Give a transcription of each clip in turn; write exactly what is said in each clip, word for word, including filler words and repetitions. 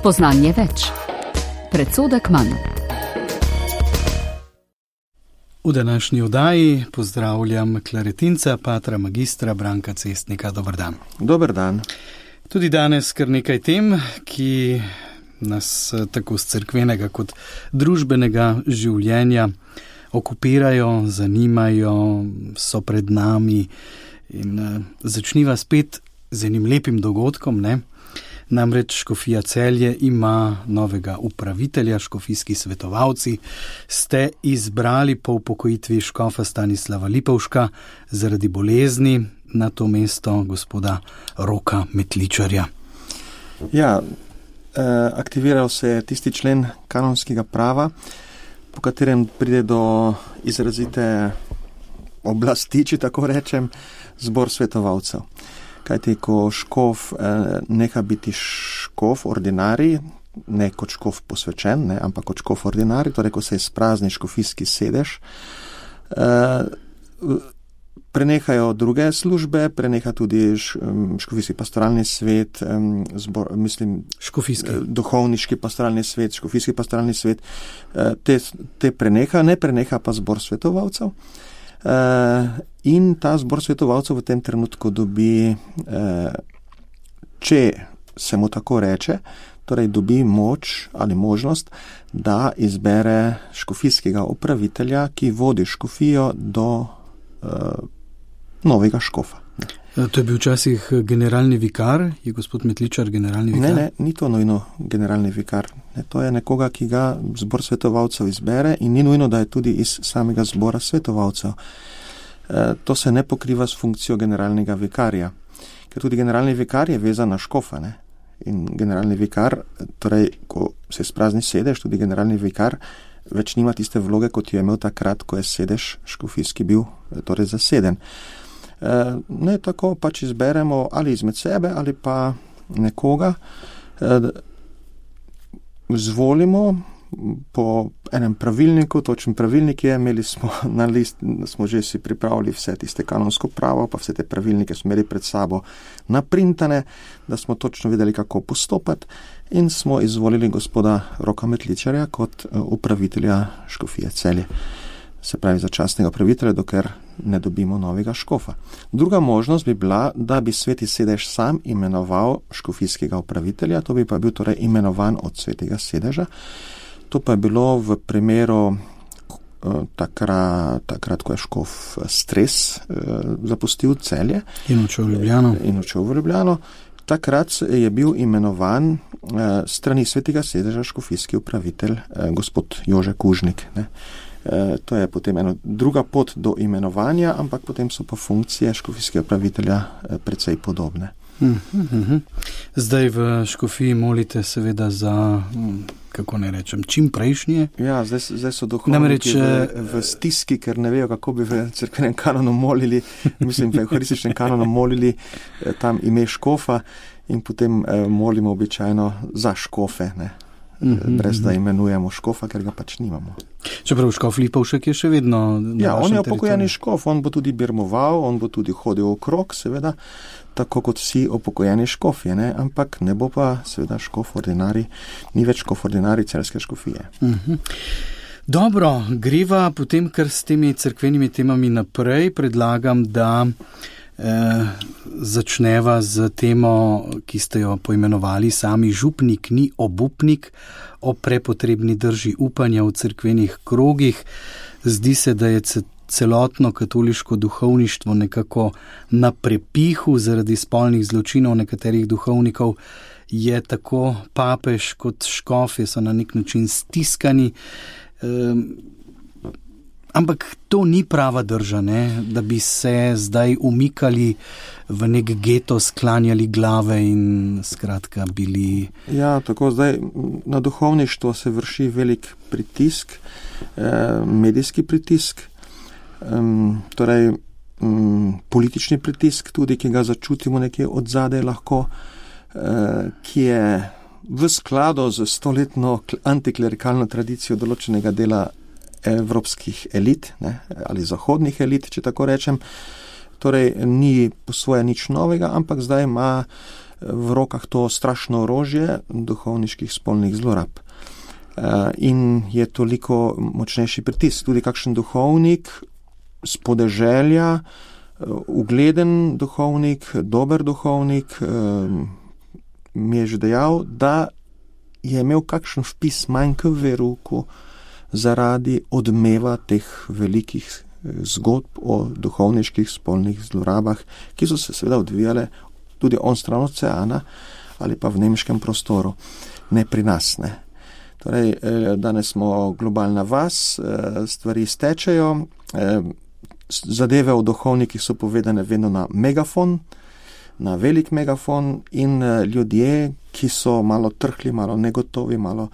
Spoznanje več. Predsodek manj. V današnji oddaji pozdravljam klaretinca, patra magistra Branka Cestnika. Dober dan. Dober dan. Tudi danes kar nekaj tem, ki nas tako z cerkvenega kot družbenega življenja okupirajo, zanimajo, so pred nami in začniva spet z enim lepim dogodkom, ne? Namreč Škofija Celje ima novega upravitelja, škofijski svetovalci. Ste izbrali po upokojitvi škofa Stanislava Lipovška zaradi bolezni na to mesto gospoda Roka Metličarja. Ja, aktiviral se je tisti člen kanonskega prava, po katerem pride do izrazite oblasti, če tako rečem, zbor svetovalcev. Kajti, ko škof eh, neha biti škof ordinarij, ne kot škof posvečen, ne, ampak kot škof ordinarij, torej ko se izprazni škofijski sedež, eh, prenehajo druge službe, preneha tudi š, škofijski pastoralni svet, eh, zbor, mislim, škofijski. Eh, duhovniški pastoralni svet, škofijski pastoralni svet, eh, te, te preneha, ne preneha pa zbor svetovalcev. Uh, in ta zbor svetovalcev v tem trenutku dobi, uh, če se mu tako reče, torej dobi moč ali možnost, da izbere škofijskega upravitelja, ki vodi škofijo do uh, novega škofa. To je bil včasih generalni vikar, je gospod Metličar generalni vikar? Ne, ne, ni to nujno generalni vikar. Ne, to je nekoga, ki ga zbor svetovalcev izbere in ni nujno, da je tudi iz samega zbora svetovalcev. E, to se ne pokriva s funkcijo generalnega vikarja, ker tudi generalni vikar je vezan na škofa. Ne? In generalni vikar, torej, ko se sprazni sedež, tudi generalni vikar več nima tiste vloge, kot jo je imel takrat, ko je sedež škofijski bil torej zaseden. Ne, tako pač izberemo ali izmed sebe ali pa nekoga, zvolimo po enem pravilniku, točen pravilnik je, imeli smo na list, smo že si pripravili vse tiste kanonsko pravo, pa vse te pravilnike smo imeli pred sabo naprintane, da smo točno vedeli, kako postopati in smo izvolili gospoda Roka Metličarja kot upravitelja škofije Celje. Se pravi začasnega upravitelja, dokler ne dobimo novega škofa. Druga možnost bi bila, da bi sveti sedež sam imenoval škofijskega upravitelja, to bi pa bil torej imenovan od svetega sedeža. To pa je bilo v primeru takrat, takrat ko je škof Stres zapustil Celje. In odšel v Ljubljano. In odšel v Ljubljano. Takrat je bil imenovan strani svetega sedeža škofijski upravitelj gospod Jože Kužnik, ne. To je potem ena druga pot do imenovanja, ampak potem so pa funkcije škofijskega upravitelja precej podobne. Zdaj v škofiji molite seveda za, kako ne rečem, čim prejšnje? Ja, zdaj, zdaj so duhovniki Namreč, v, v stiski, ker ne vejo, kako bi v cerkvenem kanonu molili, mislim, v euharističnem kanonu molili tam ime škofa in potem molimo običajno za škofe, ne. Brez da imenujemo škofa, ker ga pač nimamo. Čeprav škof Lipovšek je še vedno na Ja, on je vašem upokojeni škof, on bo tudi birmoval, on bo tudi hodil okrog, seveda, tako kot vsi upokojeni škofje, ne? Ampak ne bo pa seveda škof ordinari, ni več škof ordinari celjske škofije. Uh-huh. Dobro, greva potem kar s temi cerkvenimi temami naprej, predlagam, da Eh, začneva z temo, ki ste jo poimenovali sami župnik ni obupnik, o prepotrebni drži upanja v cerkvenih krogih. Zdi se, da je celotno katoliško duhovništvo nekako na prepihu zaradi spolnih zločinov nekaterih duhovnikov. Je tako papež kot škofje so na nek način stiskani. Eh, Ampak to ni prava drža, ne? Da bi se zdaj umikali v nek geto, sklanjali glave in skratka bili... Ja, tako zdaj na duhovništvo se vrši velik pritisk, eh, medijski pritisk, eh, torej eh, politični pritisk tudi, ki ga začutimo nekje od zadaj lahko, eh, ki je v skladu z stoletno antiklerikalno tradicijo določenega dela evropskih elit, ne, ali zahodnih elit, če tako rečem. Torej, ni po svoje nič novega, ampak zdaj ima v rokah to strašno orožje duhovniških spolnih zlorab. In je toliko močnejši pritisk. Tudi kakšen duhovnik z podeželja, ugleden duhovnik, dober duhovnik, mi je že dejal, da je imel kakšen vpis manj k veruku zaradi odmeva teh velikih zgodb o duhovniških spolnih zlorabah, ki so se seveda odvijale tudi on stran oceana ali pa v nemškem prostoru, ne pri nas, ne. Torej, danes smo globalna vas, stvari stečejo, zadeve o duhovnikih so povedane vedno na megafon, na velik megafon in ljudje, ki so malo trhli, malo negotovi, malo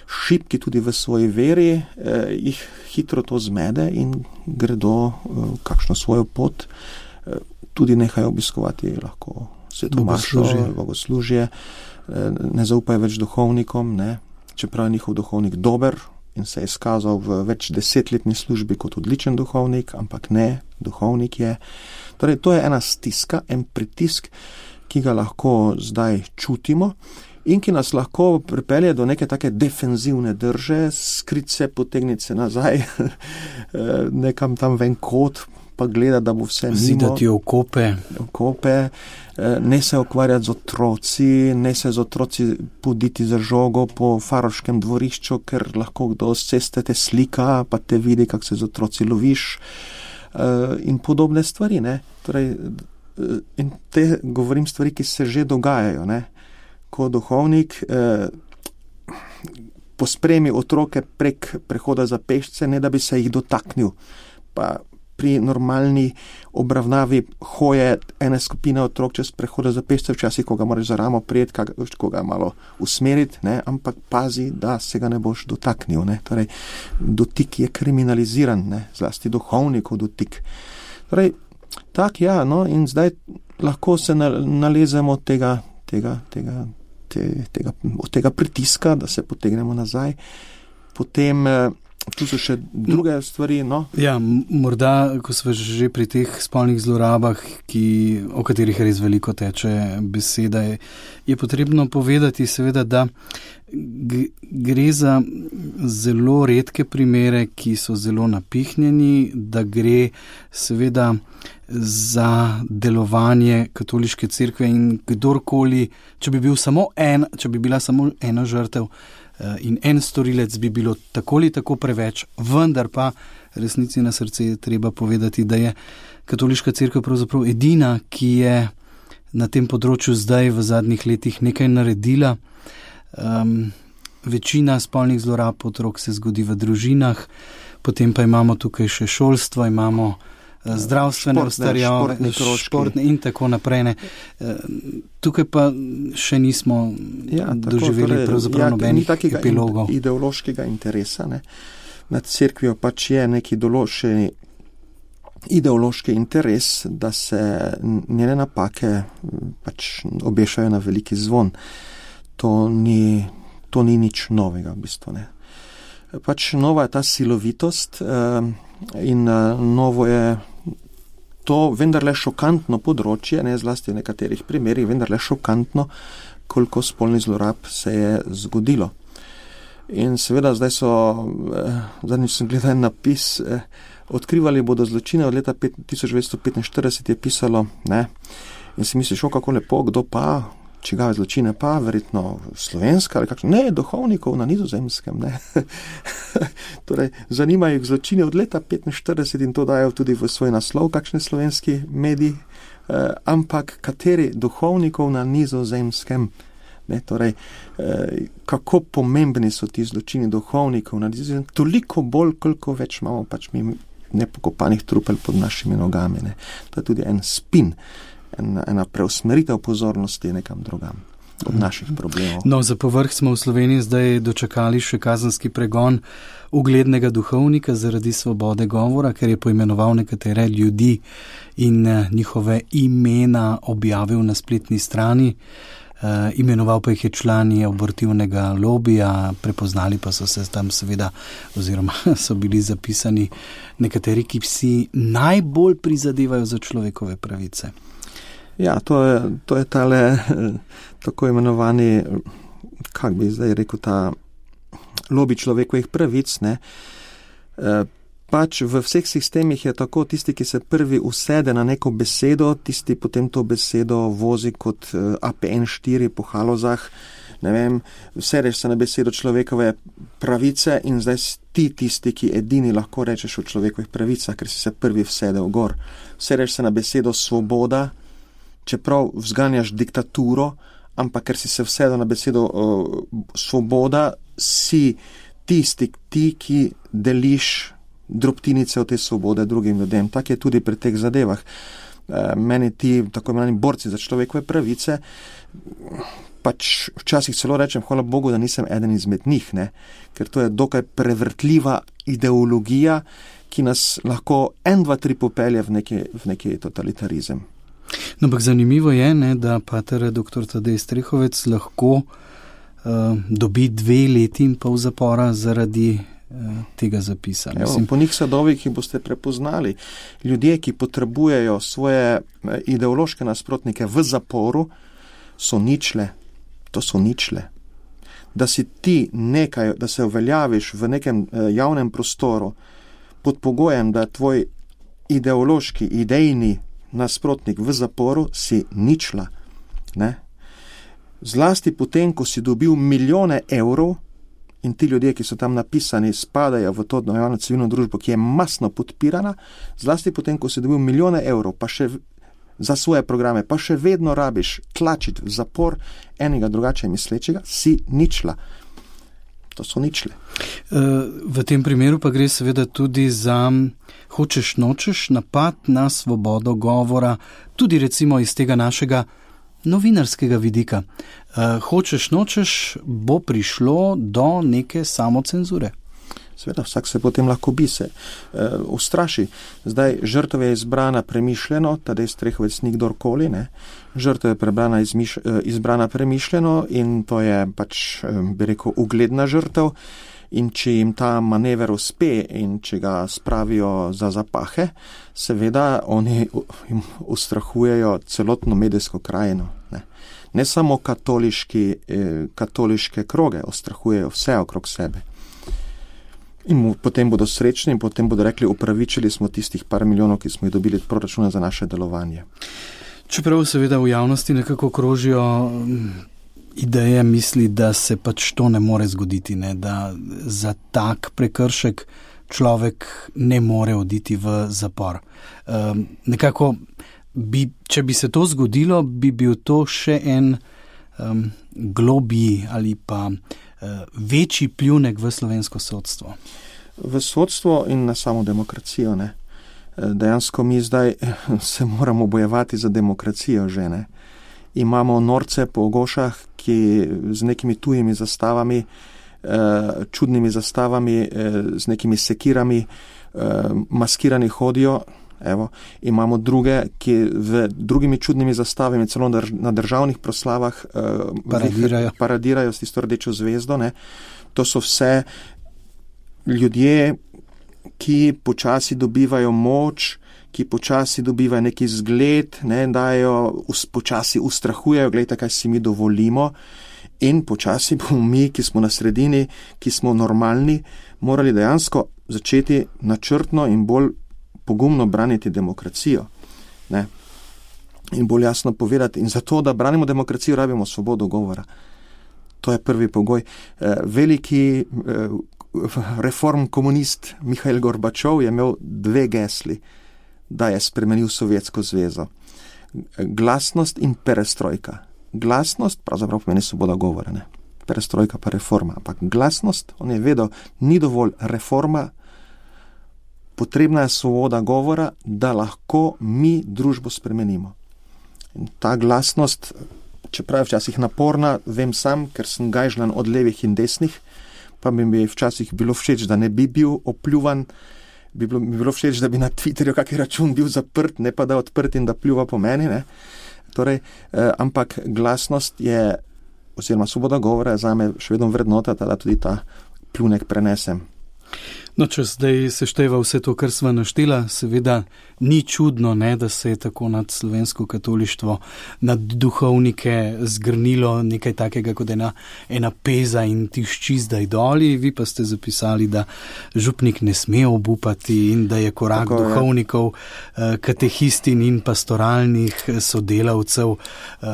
šibki tudi v svoji veri, eh, jih hitro to zmede in gredo eh, kakšno svojo pot, eh, tudi nehajo obiskovati lahko svetomašo, bogoslužje, eh, ne zaupajo več duhovnikom, ne, čeprav je njihov duhovnik dober in se je izkazal v več desetletni službi kot odličen duhovnik, ampak ne, duhovnik je. Torej, to je ena stiska, en pritisk, ki ga lahko zdaj čutimo in ki nas lahko pripelje do neke take defenzivne drže, skrit se, potegniti se nazaj, nekam tam ven kot, pa gleda, da bo vse mimo. Zidati okope. Okope, ne se ukvarjati z otroci, ne se z otroci poditi za žogo po faroškem dvorišču, ker lahko kdo z ceste te slika, pa te vidi, kak se z otroci loviš, in podobne stvari, ne. Torej, in te govorim stvari, ki se že dogajajo, ne. Ko duhovnik eh, pospremi otroke prek prehoda za pešce, ne da bi se jih dotaknil. Pa pri normalni obravnavi hoje ene skupine otrok čez prehoda za pešce, včasih, ko ga moraš za ramo prijeti, ko ga malo usmeriti, ne, ampak pazi, da se ga ne boš dotaknil, ne. Torej, dotik je kriminaliziran, ne, zlasti duhovnikov dotik. Torej, tak, ja, no, in zdaj lahko se nalezemo tega, tega, tega, te, tega, od tega pritiska, da se potegnemo nazaj. Potem, tu so še druge stvari, no. Ja, morda, ko smo že pri teh spolnih zlorabah, ki, o katerih res veliko teče beseda, je, je potrebno povedati seveda, da gre za zelo redke primere, ki so zelo napihnjeni, da gre seveda za delovanje katoliške cerkve in kdorkoli, če bi bil samo en, če bi bila samo ena žrtev in en storilec, bi bilo tako ali tako preveč, vendar pa resnici na srce je treba povedati, da je katoliška cerkev pravzaprav edina, ki je na tem področju zdaj v zadnjih letih nekaj naredila. Um, večina spolnih zlorab otrok se zgodi v družinah, potem pa imamo tukaj še šolstvo, imamo uh, zdravstvene ustarjave, športne in tako naprej. Ne. Uh, tukaj pa še nismo ja, doživeli torej, pravzaprav ja, nobenih epilogov. Ideološkega interesa, ne. Nad cerkvijo pač je neki določeni ideološki interes, da se njene napake pač obešajo na veliki zvon. To ni, to ni nič novega, v bistvu, ne. Pač nova je ta silovitost eh, in eh, novo je to vendarle šokantno področje, ne, zlasti v nekaterih primerih, vendarle šokantno, koliko spolnih zlorab se je zgodilo. In seveda zdaj so, eh, zadnjič sem gledal en napis, eh, odkrivali bodo zločine od leta tisoč devetsto petinštirideset je pisalo, ne, in si misliš, o, kako lepo, kdo pa, čigave zločine pa, verjetno slovenska ali kakšno, ne, duhovnikov na Nizozemskem, ne. Torej, zanimajo jih zločine od leta petinštirideset in to dajo tudi v svoj naslov, kakšni slovenski mediji, eh, ampak kateri duhovnikov na Nizozemskem, ne, torej, eh, kako pomembni so ti zločini duhovnikov na Nizozemskem, toliko bolj, koliko več imamo pač mi nepokopanih trupel pod našimi nogami, ne. To je tudi en spin, ena, ena preusmeritev pozornosti nekam drugam od naših problemov. No, za povrh smo v Sloveniji zdaj dočakali še kazenski pregon uglednega duhovnika zaradi svobode govora, ker je poimenoval nekatere ljudi in njihove imena objavil na spletni strani. Uh, imenoval pa jih je člani abortivnega lobija, prepoznali pa so se tam seveda, oziroma so bili zapisani nekateri, ki si najbolj prizadevajo za človekove pravice. Ja, to je, to je tale tako imenovani, kak bi zdaj rekel, ta lobi človekovih pravic, ne. E, pač v vseh sistemih je tako, tisti, ki se prvi usede na neko besedo, tisti potem to besedo vozi kot A P N štiri po halozah, ne vem, usedeš se na besedo človekove pravice in zdaj ti tisti, ki edini lahko rečeš o človekovih pravicah, ker si se prvi vsedel gor. Usedeš se na besedo svoboda, čeprav vzganjaš diktaturo, ampak ker si se vsedel na besedo uh, svoboda, si tisti, ti, ki deliš drobtinice od te svobode drugim ljudem. Tak je tudi pri teh zadevah. Uh, meni ti, tako imenovani borci za človekove pravice, pač včasih celo rečem, hvala Bogu, da nisem eden izmed njih, ne? Ker to je dokaj prevrtljiva ideologija, ki nas lahko en, dva, tri popelje v neki, v neki totalitarizem. No, ampak zanimivo je, ne, da pater doktor Tadej Strehovec lahko uh, dobi dve leti in pol zapora zaradi uh, tega zapisa. Evo, po njih sadovih jih boste prepoznali. Ljudje, ki potrebujejo svoje ideološke nasprotnike v zaporu, so ničle. To so ničle. Da si ti nekaj, da se uveljaviš v nekem eh, javnem prostoru pod pogojem, da je tvoj ideološki, idejni nasprotnik v zaporu, si ničla. Ne? Zlasti potem, ko si dobil milijone evrov in ti ljudje, ki so tam napisani, spadajo v to javno civilno družbo, ki je masno podpirana, zlasti potem, ko si dobil milijone evrov, pa še za svoje programe, pa še vedno rabiš tlačiti v zapor enega drugače mislečega, si ničla. To so ničle. V tem primeru pa gre seveda tudi za hočeš nočeš napad na svobodo govora, tudi recimo iz tega našega novinarskega vidika. Hočeš nočeš bo prišlo do neke samocenzure. Seveda, vsak se potem lahko bi se uh, ustraši. Zdaj, žrtev je izbrana premišljeno, Tadej Strehovec ni kdorkoli, ne. Žrtev je prebrana izmiš, uh, izbrana premišljeno in to je pač, um, bi rekel, ugledna žrtev in če jim ta manever uspe in če ga spravijo za zapahe, seveda oni jim ustrahujejo celotno medijsko krajino, ne. Ne samo katoliški, eh, katoliške kroge ustrahujejo vse okrog sebe. In potem bodo srečni in potem bodo rekli, upravičili smo tistih par milijonov, ki smo jih dobili od proračuna za naše delovanje. Čeprav seveda v javnosti nekako krožijo ideje, misli, da se pač to ne more zgoditi, ne? Da za tak prekršek človek ne more oditi v zapor. Um, nekako, bi, če bi se to zgodilo, bi bil to še en um, globji ali pa večji pljunek v slovensko sodstvo. V sodstvo in na samo demokracijo, ne. Dejansko mi zdaj se moramo bojevati za demokracijo že, ne. Imamo norce po Gošah, ki z nekimi tujimi zastavami, čudnimi zastavami, z nekimi sekirami, maskirani hodijo. Evo, imamo druge, ki v drugimi čudnimi zastavami, celo na državnih proslavah uh, paradirajo. paradirajo s tisto rdečo zvezdo. Ne. To so vse ljudje, ki počasi dobivajo moč, ki počasi dobivajo neki zgled, ne, dajo, us, počasi ustrahujejo, gledajte, kaj si mi dovolimo in počasi bomo mi, ki smo na sredini, ki smo normalni, morali dejansko začeti načrtno in bolj pogumno braniti demokracijo, ne, in bolj jasno povedati. In zato, da branimo demokracijo, rabimo svobodo govora. To je prvi pogoj. Veliki reform komunist Mihail Gorbačov je imel dve gesli, da je spremenil Sovjetsko zvezo. Glasnost in perestrojka. Glasnost pravzaprav pomeni svoboda govora, ne. Perestrojka pa reforma. Ampak glasnost, on je vedel, ni dovolj reforma, potrebna je svoboda govora, da lahko mi družbo spremenimo. In ta glasnost, čeprav je včasih naporna, vem sam, ker sem gajžlan od levih in desnih, pa bi mi včasih bilo všeč, da ne bi bil opljuvan, bi bilo, bi bilo všeč, da bi na Twitterju kaki račun bil zaprt, ne pa da odprt in da pljuva po meni, ne. Torej, eh, ampak glasnost je, oziroma svoboda govora je zame še vedno vrednota, da tudi ta pljunek prenesem. No, če zdaj sešteva vse to, kar sva naštela, seveda ni čudno, ne, da se je tako nad slovensko katolištvo, nad duhovnike zgrnilo nekaj takega kot ena, ena peza in tišči zdaj doli. Vi pa ste zapisali, da župnik ne sme obupati in da je korak tako duhovnikov, je. Katehistin in pastoralnih sodelavcev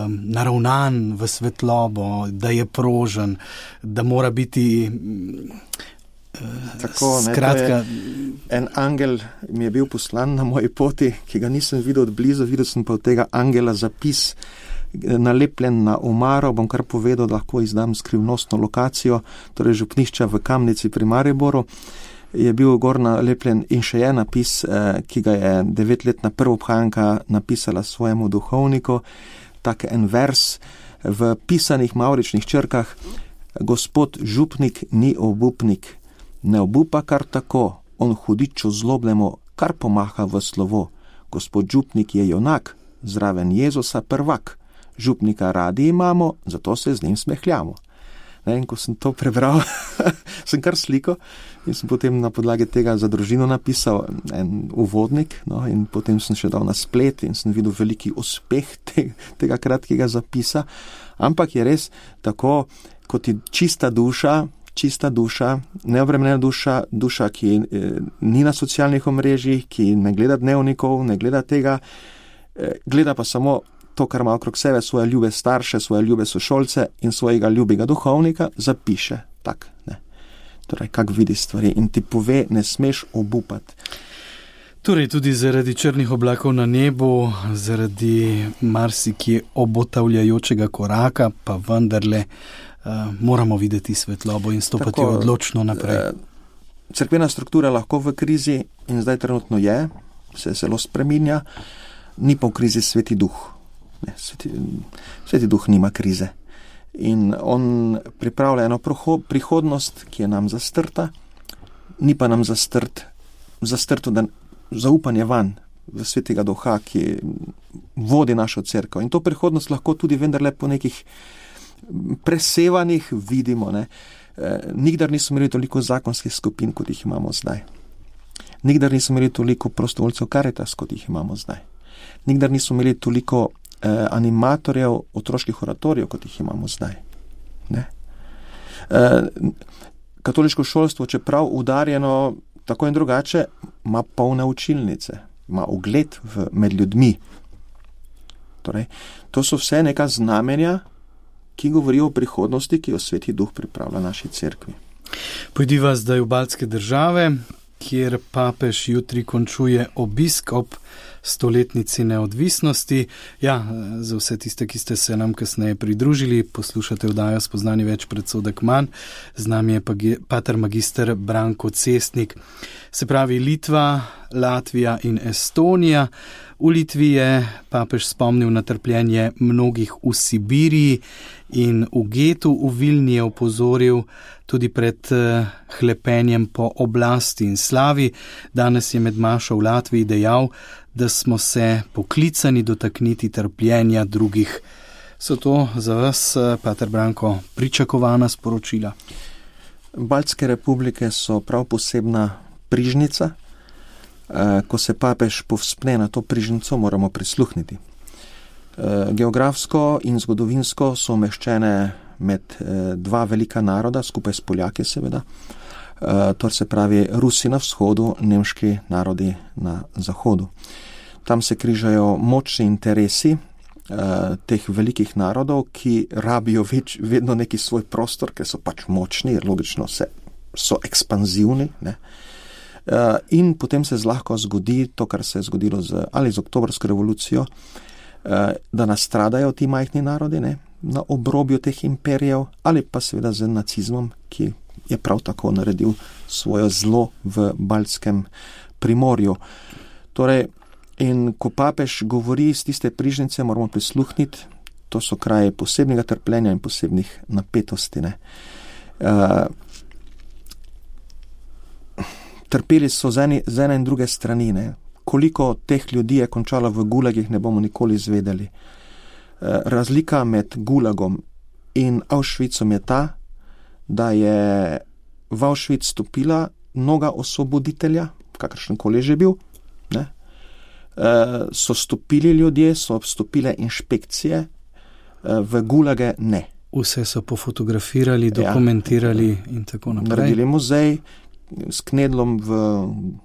naravnan v svetlobo, da je prožen, da mora biti... Tako, ne, Skratka, en angel mi je bil poslan na moji poti, ki ga nisem videl od blizu, videl sem pa od tega angela zapis nalepljen na omaro, bom kar povedal, da lahko izdam skrivnostno lokacijo, torej župnišča v Kamnici pri Mariboru, je bil gor nalepljen in še je napis, ki ga je devetletna prvobhajanka napisala svojemu duhovniku, tak en vers v pisanih mavričnih črkah: Gospod župnik ni obupnik, ne obupa kar tako, on hudiču zlobnemu kar pomaha v slovo. Gospod župnik je junak, zraven Jezusa prvak. Župnika radi imamo, zato se z njim smehljamo. Ne, in ko sem to prebral, sem kar sliko in sem potem na podlagi tega za družino napisal en uvodnik, no, in potem sem še dal na splet in sem videl veliki uspeh te, tega kratkega zapisa. Ampak je res tako, kot je čista duša, čista duša, neobremenjena duša, duša, ki eh, ni na socialnih omrežjih, ki ne gleda dnevnikov, ne gleda tega, eh, gleda pa samo to, kar ima okrog sebe, svoje ljube starše, svoje ljube sošolce in svojega ljubega duhovnika, zapiše tak, ne. Torej, kak vidi stvari in ti pove, ne smeš obupati. Torej, tudi zaradi črnih oblakov na nebu, zaradi marsikje obotavljajočega koraka, pa vendarle Uh, moramo videti svetlobo in stopati tako, odločno naprej. Cerkvena struktura lahko v krizi in zdaj trenutno je, se zelo spreminja, ni pa v krizi Sveti Duh. Ne, sveti, sveti Duh nima krize. In on pripravlja eno prihodnost, ki je nam zastrta, ni pa nam zastrt, zastrto da zaupanje van v Svetega Duha, ki vodi našo cerkev. In to prihodnost lahko tudi vendarle po nekih presevanih vidimo, ne. E, nikdar nismo imeli toliko zakonskih skupin, kot jih imamo zdaj. Nikdar nismo imeli toliko prostovoljcev Caritas, kot jih imamo zdaj. Nikdar nismo imeli toliko e, animatorjev otroških oratorijev, kot jih imamo zdaj. Ne. E, katoliško šolstvo, čeprav udarjeno tako in drugače, ima polne učilnice, ima ugled v, med ljudmi. Torej, to so vse neka znamenja, ki govorijo o prihodnosti, ki jo Sveti Duh pripravlja naši cerkvi. Pojdiva zdaj v baltske države, kjer papež jutri končuje obisk ob stoletnici neodvisnosti. Ja, za vse tiste, ki ste se nam kasneje pridružili, poslušate oddajo Spoznanje več, predsodek manj. Z nami je pater magister Branko Cestnik. Se pravi Litva, Latvija in Estonija. V Litvi je papež spomnil na trpljenje mnogih v Sibiriji in v getu v Vilni je opozoril tudi pred hlepenjem po oblasti in slavi. Danes je med mašo v Latviji dejal, da smo se poklicani dotakniti trpljenja drugih. So to za vas, pater Branko, pričakovana sporočila? Baltske republike so prav posebna prižnica. Ko se papež povzpne na to prižnico, moramo prisluhniti. Geografsko in zgodovinsko so umeščene med dva velika naroda, skupaj s Poljaki seveda, to se pravi Rusi na vzhodu, nemški narodi na zahodu. Tam se križajo močni interesi teh velikih narodov, ki rabijo več, vedno neki svoj prostor, ker so pač močni, logično se, so ekspanzivni, ne. Uh, in potem se zlahka zgodi to, kar se je zgodilo z, ali z oktobrsko revolucijo, uh, da nastradajo ti majhni narodi, ne, na obrobju teh imperijev, ali pa seveda z nacizmom, ki je prav tako naredil svoje zlo v baltskem primorju. Torej, in ko papež govori z tiste prižnice, moramo prisluhniti, to so kraje posebnega trpljenja in posebnih napetosti, ne. Uh, Trpeli so z ene, z ene in druge strani. Ne. Koliko teh ljudi je končalo v gulagih, ne bomo nikoli izvedeli. Razlika med gulagom in Auschwitzom je ta, da je v Auschwitz stopila noga osvoboditelja, kakršenkoli že bil, ne, so stopili ljudje, so stopile inšpekcije, v gulage ne. Vse so pofotografirali, dokumentirali ja. In tako naprej. Naredili muzej, s knedlom v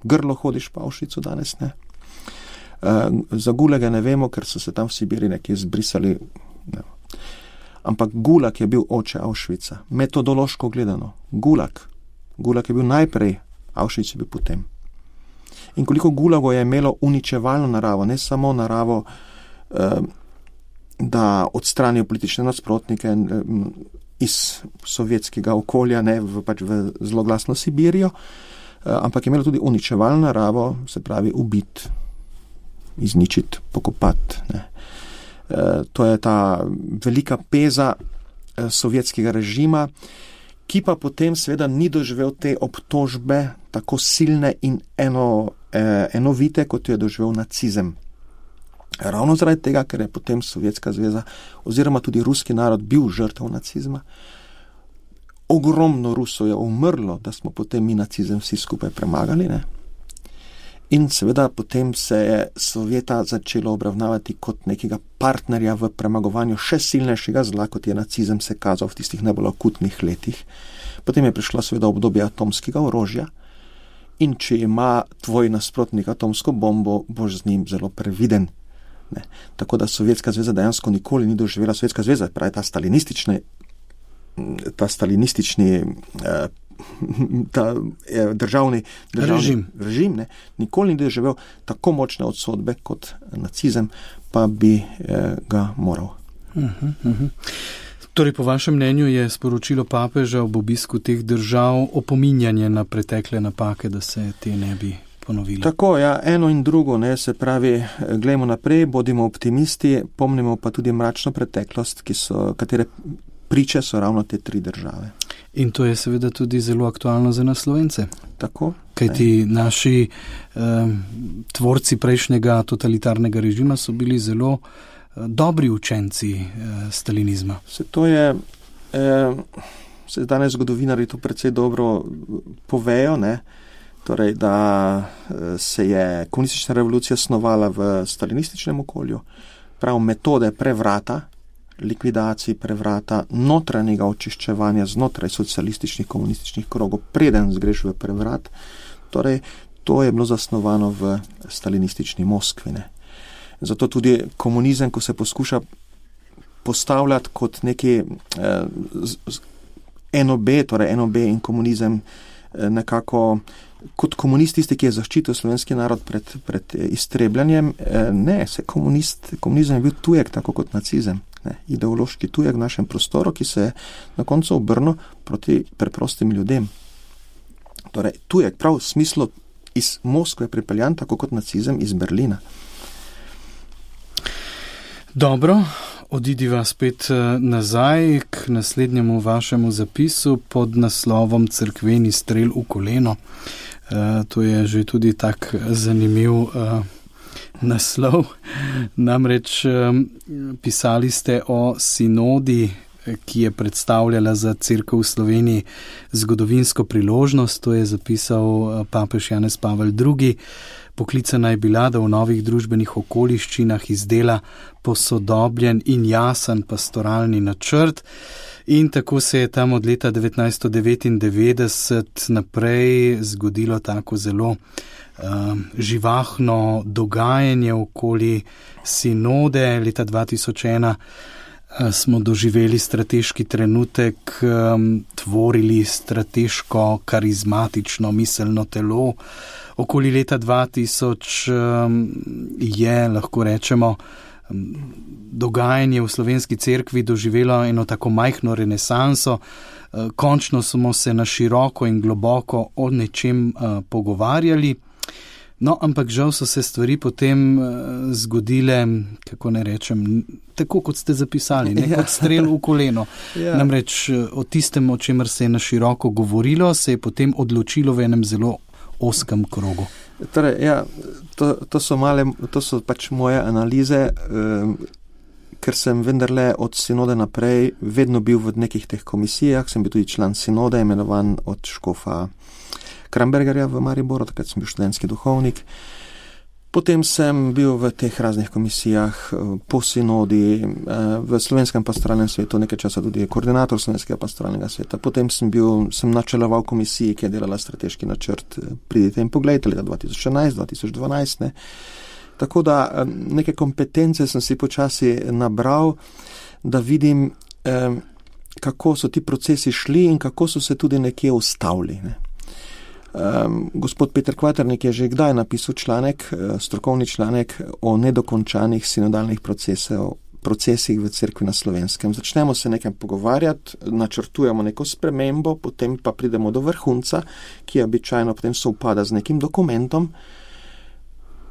grlo hodiš pa Auschwitzu danes, ne. Za gulage ne vemo, ker so se tam v Sibiri nekje zbrisali. Ne. Ampak gulag je bil oče Auschwitza. Metodološko gledano. Gulag. Gulag je bil najprej, Auschwitz je bil potem. In koliko gulago je imelo uničevalno naravo, ne samo naravo, da odstranijo politične nasprotnike iz sovjetskega okolja, ne v, pač v zloglasno Sibirijo, ampak je imelo tudi uničevalno naravo, se pravi ubiti, izničiti, pokopati. Ne. To je ta velika peza sovjetskega režima, ki pa potem seveda ni doživel te obtožbe tako silne in eno, enovite, kot jo je doživel nacizem. Ravno zaradi tega, ker je potem Sovjetska zveza oziroma tudi ruski narod bil žrtev nacizma. Ogromno Rusov je umrlo, da smo potem mi nacizem vsi skupaj premagali, ne? In seveda potem se je Sovjeta začelo obravnavati kot nekega partnerja v premagovanju še silnejšega zla, kot je nacizem se kazal v tistih najbolj akutnih letih. Potem je prišlo seveda obdobje atomskega orožja in če ima tvoj nasprotnik atomsko bombo, boš z njim zelo previden. Ne. Tako da Sovjetska zveza dejansko nikoli ni doživela, Sovjetska zveza, pravi ta stalinistični, ta stalinistični eh, ta eh, državni, državni režim, režim ne, nikoli ni doživel tako močne odsodbe kot nacizem, pa bi eh, ga moral. Uh-huh, uh-huh. Torej, po vašem mnenju je sporočilo papeža ob obisku teh držav opominjanje na pretekle napake, da se te ne bi ponovili. Tako, ja, eno in drugo, ne, se pravi, glejmo naprej, bodimo optimisti, pomnimo pa tudi mračno preteklost, ki so, katere priče so ravno te tri države. In to je seveda tudi zelo aktualno za nas Slovence. Tako. Kajti ne. naši eh, tvorci prejšnjega totalitarnega režima so bili zelo eh, dobri učenci eh, stalinizma. Se to je, eh, se danes zgodovinari to precej dobro povejo, ne, torej, da se je komunistična revolucija snovala v stalinističnem okolju, prav metode prevrata, likvidacij, prevrata, notranjega očiščevanja znotraj socialističnih komunističnih krogov, preden zgreš v prevrat, torej, to je bilo zasnovano v stalinistični Moskvi. Ne. Zato tudi komunizem, ko se poskuša postavljati kot neki eh, N O B, torej N O B in komunizem eh, nekako kot komunist tisti, ki je zaščitil slovenski narod pred, pred iztrebljanjem, ne, se komunist, komunizem je bil tujek, tako kot nacizem, ne, ideološki tujek v našem prostoru, ki se je na koncu obrnil proti preprostim ljudem. Torej, tujek, prav v smislu iz Moskve pripeljan, tako kot nacizem iz Berlina. Dobro, odidiva spet nazaj k naslednjemu vašemu zapisu pod naslovom Cerkveni strel v koleno. Uh, to je že tudi tak zanimiv uh, naslov. Namreč um, pisali ste o sinodi, ki je predstavljala za Cerkev v Sloveniji zgodovinsko priložnost. To je zapisal uh, papež Janez Pavel drugi. Poklicana je bila, da v novih družbenih okoliščinah izdela posodobljen in jasen pastoralni načrt. In tako se je tam od leta devetnajststo devetindevetdeset naprej zgodilo tako zelo uh, živahno dogajanje okoli sinode. Leta dva tisoč ena uh, smo doživeli strateški trenutek, um, tvorili strateško, karizmatično, miselno telo. Okoli leta dva tisoč um, je, lahko rečemo, dogajanje v slovenski cerkvi doživelo eno tako majhno renesanso. Končno smo se na široko in globoko o nečem uh, pogovarjali. No, ampak žal so se stvari potem uh, zgodile, kako ne rečem, tako kot ste zapisali, ne, ja. Kot strel v koleno. Ja. Namreč o tistem, o čemer se je na široko govorilo, se je potem odločilo v enem zelo oskem krogu. Torej, ja, to, to, so male, to so pač moje analize, um, ker sem vendarle od sinode naprej vedno bil v nekih teh komisijah, sem bil tudi član sinode, imenovan od škofa Krambergerja v Mariboru, takrat sem bil študentski duhovnik. Potem sem bil v teh raznih komisijah, po sinodi, v Slovenskem pastoralnem svetu, nekaj časa tudi koordinator Slovenskega pastoralnega sveta. Potem sem bil, sem načeloval komisiji, ki je delala strateški načrt Pridite in poglejte, leta dva tisoč enajst dva tisoč dvanajst. Ne. Tako da neke kompetence sem si počasi nabral, da vidim, kako so ti procesi šli in kako so se tudi nekje ustavili. Ne. Um, gospod Peter Kvaternik je že kdaj napisal članek, strokovni članek o nedokončanih sinodalnih procesov, procesih v cerkvi na Slovenskem. Začnemo se nekaj pogovarjati, načrtujemo neko spremembo, potem pa pridemo do vrhunca, ki običajno potem sovpada z nekim dokumentom,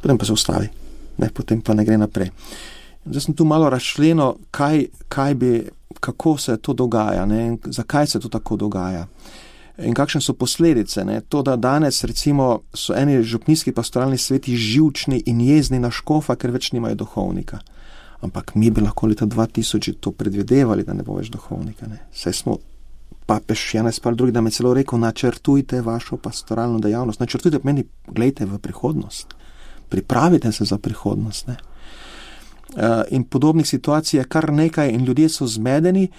potem pa se ustavi, ne, potem pa ne gre naprej. Zdaj sem tu malo razčlenil, kaj, kaj bi, kako se to dogaja, ne, zakaj se to tako dogaja. In kakšne so posledice, ne? To, da danes recimo so eni župnijski pastoralni sveti živčni in jezni na škofa, ker več nimajo duhovnika. Ampak mi bi lahko leta dva tisoč to predvidevali, da ne bo več duhovnika. Ne? Saj smo papež Janez Pavel drugi, da me celo rekel, načrtujte vašo pastoralno dejavnost. Načrtujte pomeni, gledajte v prihodnost. Pripravite se za prihodnost. Ne? Uh, in podobnih situacij je kar nekaj in ljudje so zmedeni,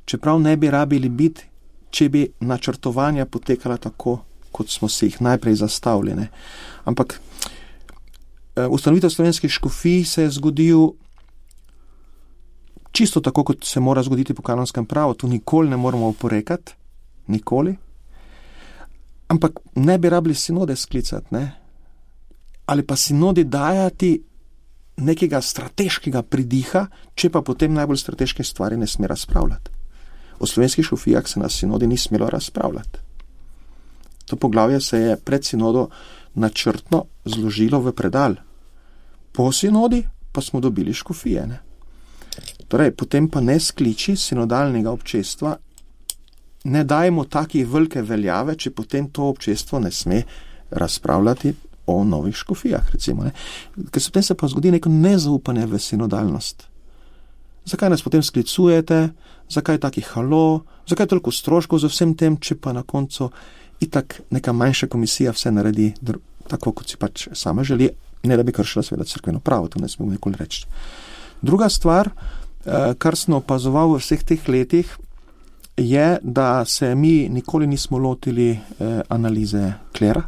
čeprav ne bi rabili biti, če bi načrtovanja potekala tako, kot smo si jih najprej zastavljene. Ampak ustanovitev slovenskih škofij se je zgodil čisto tako, kot se mora zgoditi po kanonskem pravu. Tu nikoli ne moramo oporekati, nikoli. Ampak ne bi rabili sinode sklicati, ne? Ali pa sinodi dajati nekega strateškega pridiha, če pa potem najbolj strateške stvari ne sme razpravljati. O slovenskih škofijah se na sinodi ni smelo razpravljati. To poglavje se je pred sinodo načrtno zložilo v predal. Po sinodi pa smo dobili škofije. Ne? Torej, potem pa ne skliči sinodalnega občestva, ne dajmo takih velike veljave, če potem to občestvo ne sme razpravljati o novih škofijah, recimo. Ne? Ker se potem se pa zgodi neko nezaupanje v sinodalnost. Zakaj nas potem sklicujete, zakaj taki halo, zakaj toliko stroškov za vsem tem, če pa na koncu itak neka manjša komisija vse naredi tako, kot si pač sama želi, ne da bi kršila seveda cerkveno pravo, to ne smemo nikoli reči. Druga stvar, kar sem opazoval v vseh teh letih, je, da se mi nikoli nismo lotili analize klera,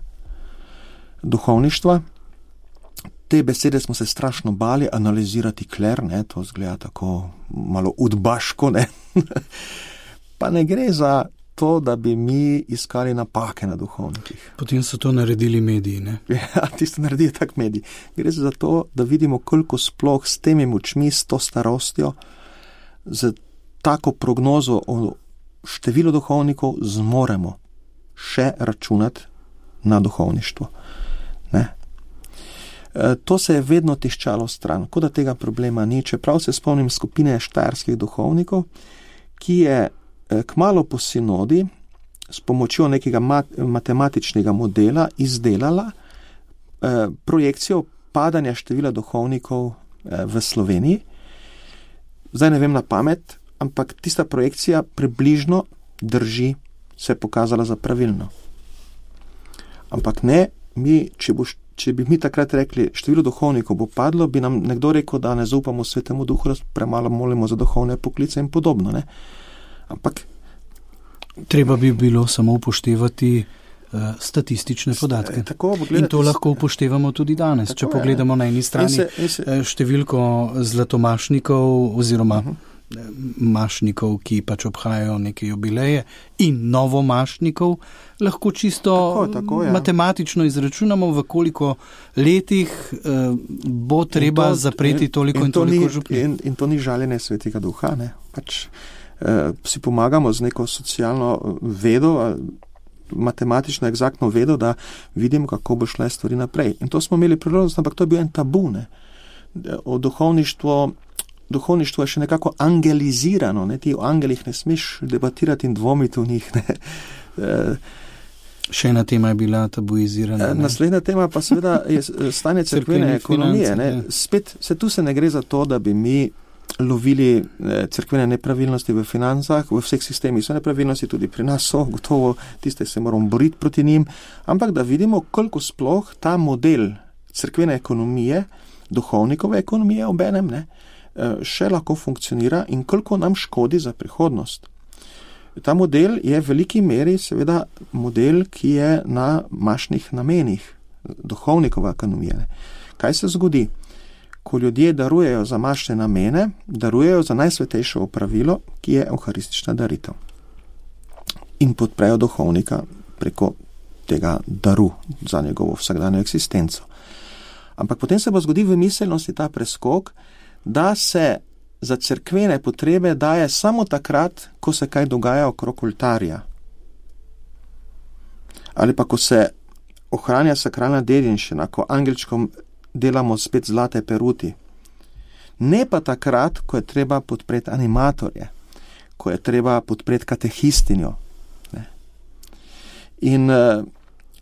duhovništva. Te besede smo se strašno bali, analizirati kler, ne, to zgleda tako malo udbaško, ne. Pa ne gre za to, da bi mi iskali napake na duhovnikih. Potem so to naredili mediji, ne? Ja, tisto naredijo tak mediji. Gre za to, da vidimo, koliko sploh s temi močmi, s to starostjo, z tako prognozo o številu duhovnikov zmoremo še računati na duhovništvo. Ne? To se je vedno tiščalo stran, kot da tega problema ni. Čeprav se spomnim skupine štajerskih duhovnikov, ki je kmalu po sinodi s pomočjo nekega mat- matematičnega modela izdelala eh, projekcijo padanja števila duhovnikov eh, v Sloveniji. Zdaj ne vem na pamet, ampak tista projekcija približno drži, se je pokazala za pravilno. Ampak ne, mi, če boš Če bi mi takrat rekli, število duhovnikov bo padlo, bi nam nekdo rekel, da ne zaupamo Svetemu Duhu, da premalo molimo za duhovne poklice in podobno. Ne? Ampak treba bi bilo samo upoštevati uh, statistične podatke. Tako, in to lahko upoštevamo tudi danes. Če pogledamo je. Na eni strani in se, in se, številko zlatomašnikov oziroma uh-huh. mašnikov, ki pač obhajajo neke jubileje, in novomašnikov, lahko čisto tako, tako, ja. matematično izračunamo, v koliko letih eh, bo treba to, zapreti toliko in, in, in toliko župnik. In, in to ni žaljenje Svetega Duha, ne? Pač eh, si pomagamo z neko socialno vedo, matematično, egzaktno vedo, da vidimo, kako bo šle stvari naprej. In to smo imeli priložnost, ampak to je bil en tabu, ne? O duhovništvo Duhovništvo je še nekako angelizirano, ne? Ti o angelih ne smeš debatirati in dvomiti v njih. Ne? Še ena tema je bila tabuizirana. Ne? Naslednja tema pa seveda je stanje cerkvene ekonomije. Ne? Spet, se tu se ne gre za to, da bi mi lovili cerkvene nepravilnosti v financah, v vseh sistemih so nepravilnosti, tudi pri nas so, gotovo tiste se moramo boriti proti njim, ampak da vidimo, koliko sploh ta model cerkvene ekonomije, duhovnikove ekonomije obenem, ne, še lahko funkcionira in koliko nam škodi za prihodnost. Ta model je v veliki meri seveda model, ki je na mašnih namenih, duhovnikova ekonomija. Ne. Kaj se zgodi? Ko ljudje darujejo za mašne namene, darujejo za najsvetejše opravilo, ki je evharistična daritev. In podprejo duhovnika preko tega daru za njegovo vsakdanjo eksistenco. Ampak potem se bo zgodi v miselnosti ta preskok, da se za cerkvene potrebe daje samo takrat, ko se kaj dogaja okrog oltarja. Ali pa ko se ohranja sakralna dediščina, ko angelčkom delamo spet zlate peruti. Ne pa takrat, ko je treba podpreti animatorje, ko je treba podpreti katehistinjo. Ne. In,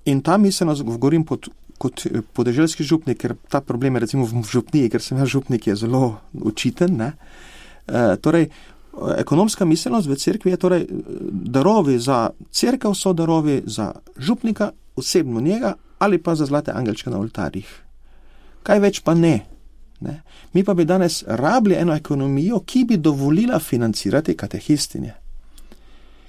in ta miselnost, govorim pod, kot podeželski župnik, ker ta problem je recimo v župniji, ker sem ja župnik, je zelo učiten. Ne. E, torej, ekonomska miselnost v cerkvi je torej darovi za cerkev, so darovi za župnika, osebno njega ali pa za zlate angelčke na oltarjih. Kaj več pa ne. ne. Mi pa bi danes rabili eno ekonomijo, ki bi dovolila financirati katehistinje,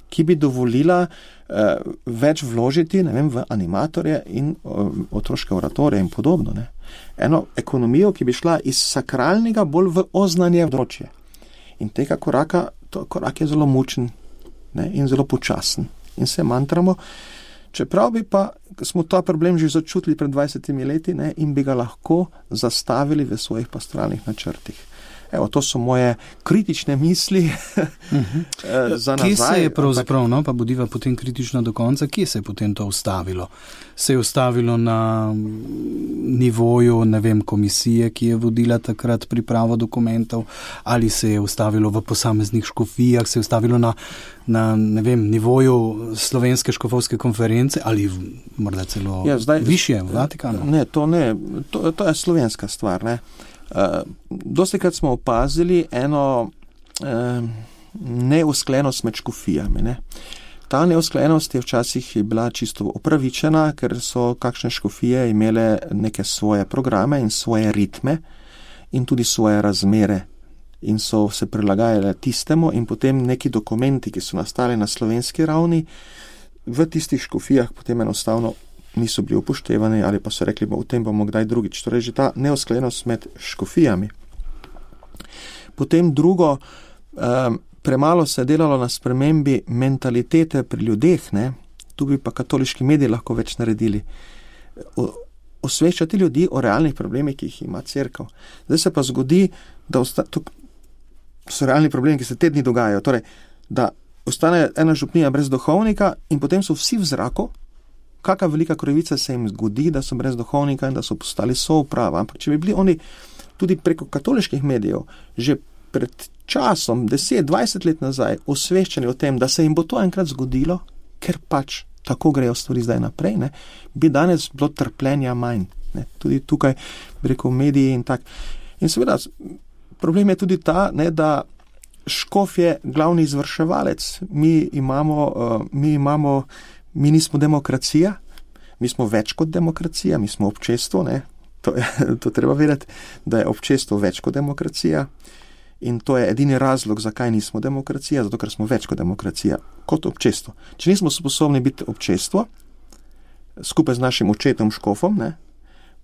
ki bi dovolila uh, več vložiti, ne vem, v animatorje in uh, otroške oratorije in podobno. Ne. Eno ekonomijo, ki bi šla iz sakralnega bolj v oznanje področje. In tega koraka, to korak je zelo mučen, ne, in zelo počasen. In se mantramo, čeprav bi pa smo ta problem že začutili pred dvajsetimi leti, ne, in bi ga lahko zastavili v svojih pastoralnih načrtih. Evo, to so moje kritične misli uh-huh. za nazaj. Kje se je pravzaprav, no, pa bodiva potem kritično do konca, kje se je potem to ustavilo? Se je ustavilo na nivoju, ne vem, komisije, ki je vodila takrat pripravo dokumentov, ali se je ustavilo v posameznih škofijah, se je ustavilo na, na ne vem, nivoju Slovenske škofovske konference, ali morda celo ja, zdaj, višje v Vatikanu? Ne, to ne, to, to je slovenska stvar, ne. Uh, dostikrat smo opazili eno uh, neusklenost med škofijami. Ne? Ta neusklenost je včasih bila čisto opravičena, ker so kakšne škofije imele neke svoje programe in svoje ritme in tudi svoje razmere in so se prilagajale tistemu in potem neki dokumenti, ki so nastali na slovenski ravni, v tistih škofijah potem enostavno niso bili upoštevani ali pa so rekli, bo v tem bomo kdaj drugič. Torej, že ta neusklenost med škofijami. Potem drugo, um, premalo se je delalo na spremembi mentalitete pri ljudeh, ne? Tu bi pa katoliški mediji lahko več naredili. O, osveščati ljudi o realnih problemih, ki jih ima cerkev. Zdaj se pa zgodi, da osta, to so realni problemi, ki se te dni dogajajo. Torej, da ostane ena župnija brez duhovnika in potem so vsi v zraku, kakšna velika krivica se jim zgodi, da so brez duhovnika in da so postali souprava. Ampak če bi bili oni tudi preko katoliških medijev že pred časom, deset, dvajset let nazaj, osveščeni o tem, da se jim bo to enkrat zgodilo, ker pač tako grejo stvari zdaj naprej, ne, bi danes bilo trpljenja manj. Ne. Tudi tukaj preko mediji in tak. In seveda, problem je tudi ta, ne, da škof je glavni izvrševalec. Mi imamo, uh, mi imamo Mi nismo demokracija, mi smo več kot demokracija, mi smo občestvo, ne? To, je, to treba vedeti, da je občestvo več kot demokracija in to je edini razlog, zakaj nismo demokracija, zato ker smo več kot demokracija, kot občestvo. Če nismo sposobni biti občestvo, skupaj z našim očetom škofom, ne?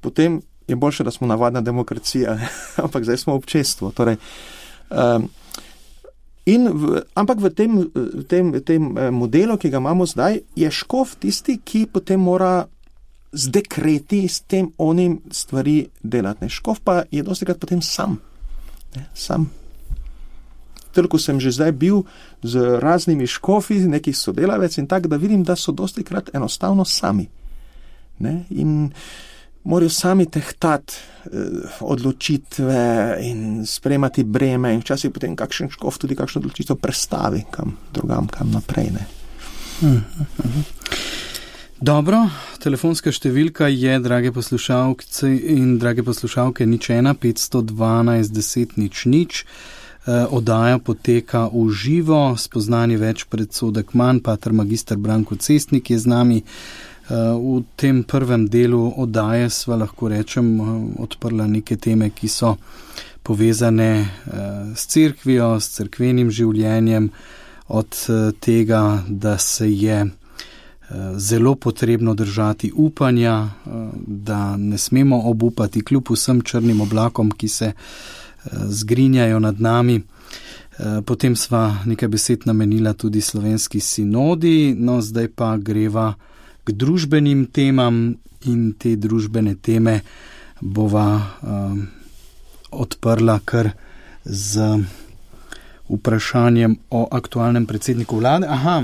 Potem je boljše, da smo navadna demokracija, ne? Ampak zdaj smo občestvo. Torej, um, In v, ampak v tem, tem, tem modelu, ki ga imamo zdaj, je škof tisti, ki potem mora z dekreti, s tem onim stvari delati. Ne. Škof pa je dostikrat potem sam. Ne, sam. Toliko sem že zdaj bil z raznimi škofi, nekih sodelavec in tak, da vidim, da so dostikrat enostavno sami. Ne, in morajo sami tehtati eh, odločitve in sprejemati breme in včasih potem kakšen škof tudi kakšno odločitev prestavi kam drugam, kam naprej. Ne. Dobro, telefonska številka je, drage poslušalke in drage poslušalke, nič ena, petsto dvanajst, deset, nič, nič. Oddaja poteka v živo, spoznanje več predsodek manj, pater magister Branko Cestnik je z nami. V tem prvem delu oddaje sva lahko rečem odprla neke teme, ki so povezane s cerkvijo, s cerkvenim življenjem, od tega, da se je zelo potrebno držati upanja, da ne smemo obupati kljub vsem črnim oblakom, ki se zgrinjajo nad nami. Potem sva nekaj besed namenila tudi slovenski sinodi, no zdaj pa greva k družbenim temam in te družbene teme bova um, odprla kar z vprašanjem o aktualnem predsedniku vlade. Aha,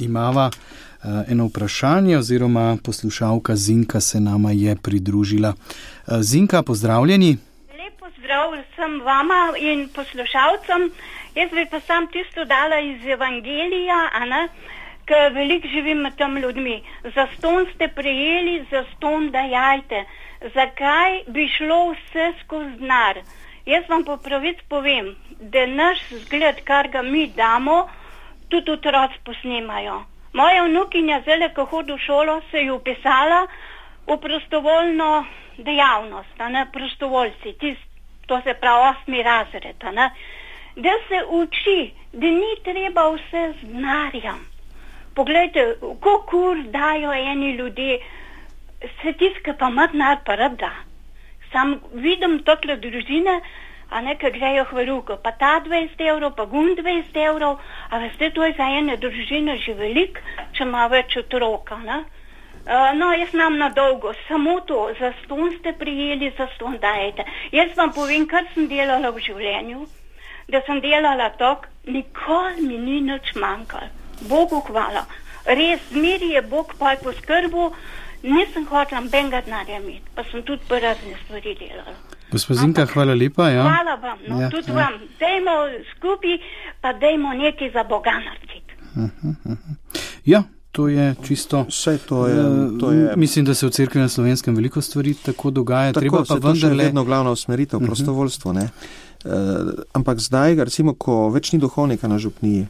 imava uh, eno vprašanje oziroma poslušalka Zinka se nama je pridružila. Uh, Zinka, pozdravljeni. Lep pozdrav vsem vama in poslušalcem. Jaz bi pa sam tisto dala iz Evangelija, a ne, ker veliko živim med tem ljudmi. Zaston ste prejeli, zaston dajajte. Zakaj bi šlo vse skozi denar? Jaz vam po pravici povem, da naš zgled, kar ga mi damo, tudi otroci posnemajo. Moja vnukinja zdaj, ko hodi v šolo, se je upisala v prostovoljno dejavnost, a ne, prostovoljci, tist, to se pravi osmi razred, a ne, da se uči, da ni treba vse z denarjem. Poglejte, koliko ur dajo eni ljudje, se tiska pa ima denar pa rad da. Sam vidim tokle družine, a ne, ki grejo hvaruko, pa ta dvajset evrov, pa gun dvajset evrov, a veste, to je za ene družine že veliko, če ima več otroka, ne. Uh, no, jaz nam na dolgo, samo to, zaston ste prijeli, zaston dajete. Jaz vam povem, kar sem delala v življenju, da sem delala tok, nikoli mi ni nič manjkalo. Bogu hvala. Res, zmeri je Bog pa je poskrbil, nisem hotela benga denarja imeti, pa sem tudi pa razne stvari delala. Gospod Zinka, hvala lepa. Ja. Hvala vam, no, ja, tudi ja. vam. Dajmo skupaj, pa dajmo nekaj za Boga narediti. Uh-huh, uh-huh. Ja, to je čisto... Vse to je, to je... Mislim, da se v cerkvi na Slovenskem veliko stvari tako dogaja. Tako, treba pa se to vendarle... še vedno glavna usmeritev, uh-huh. prostovoljstvo, ne. Uh, ampak zdaj, recimo, ko več ni duhovnika na župniji,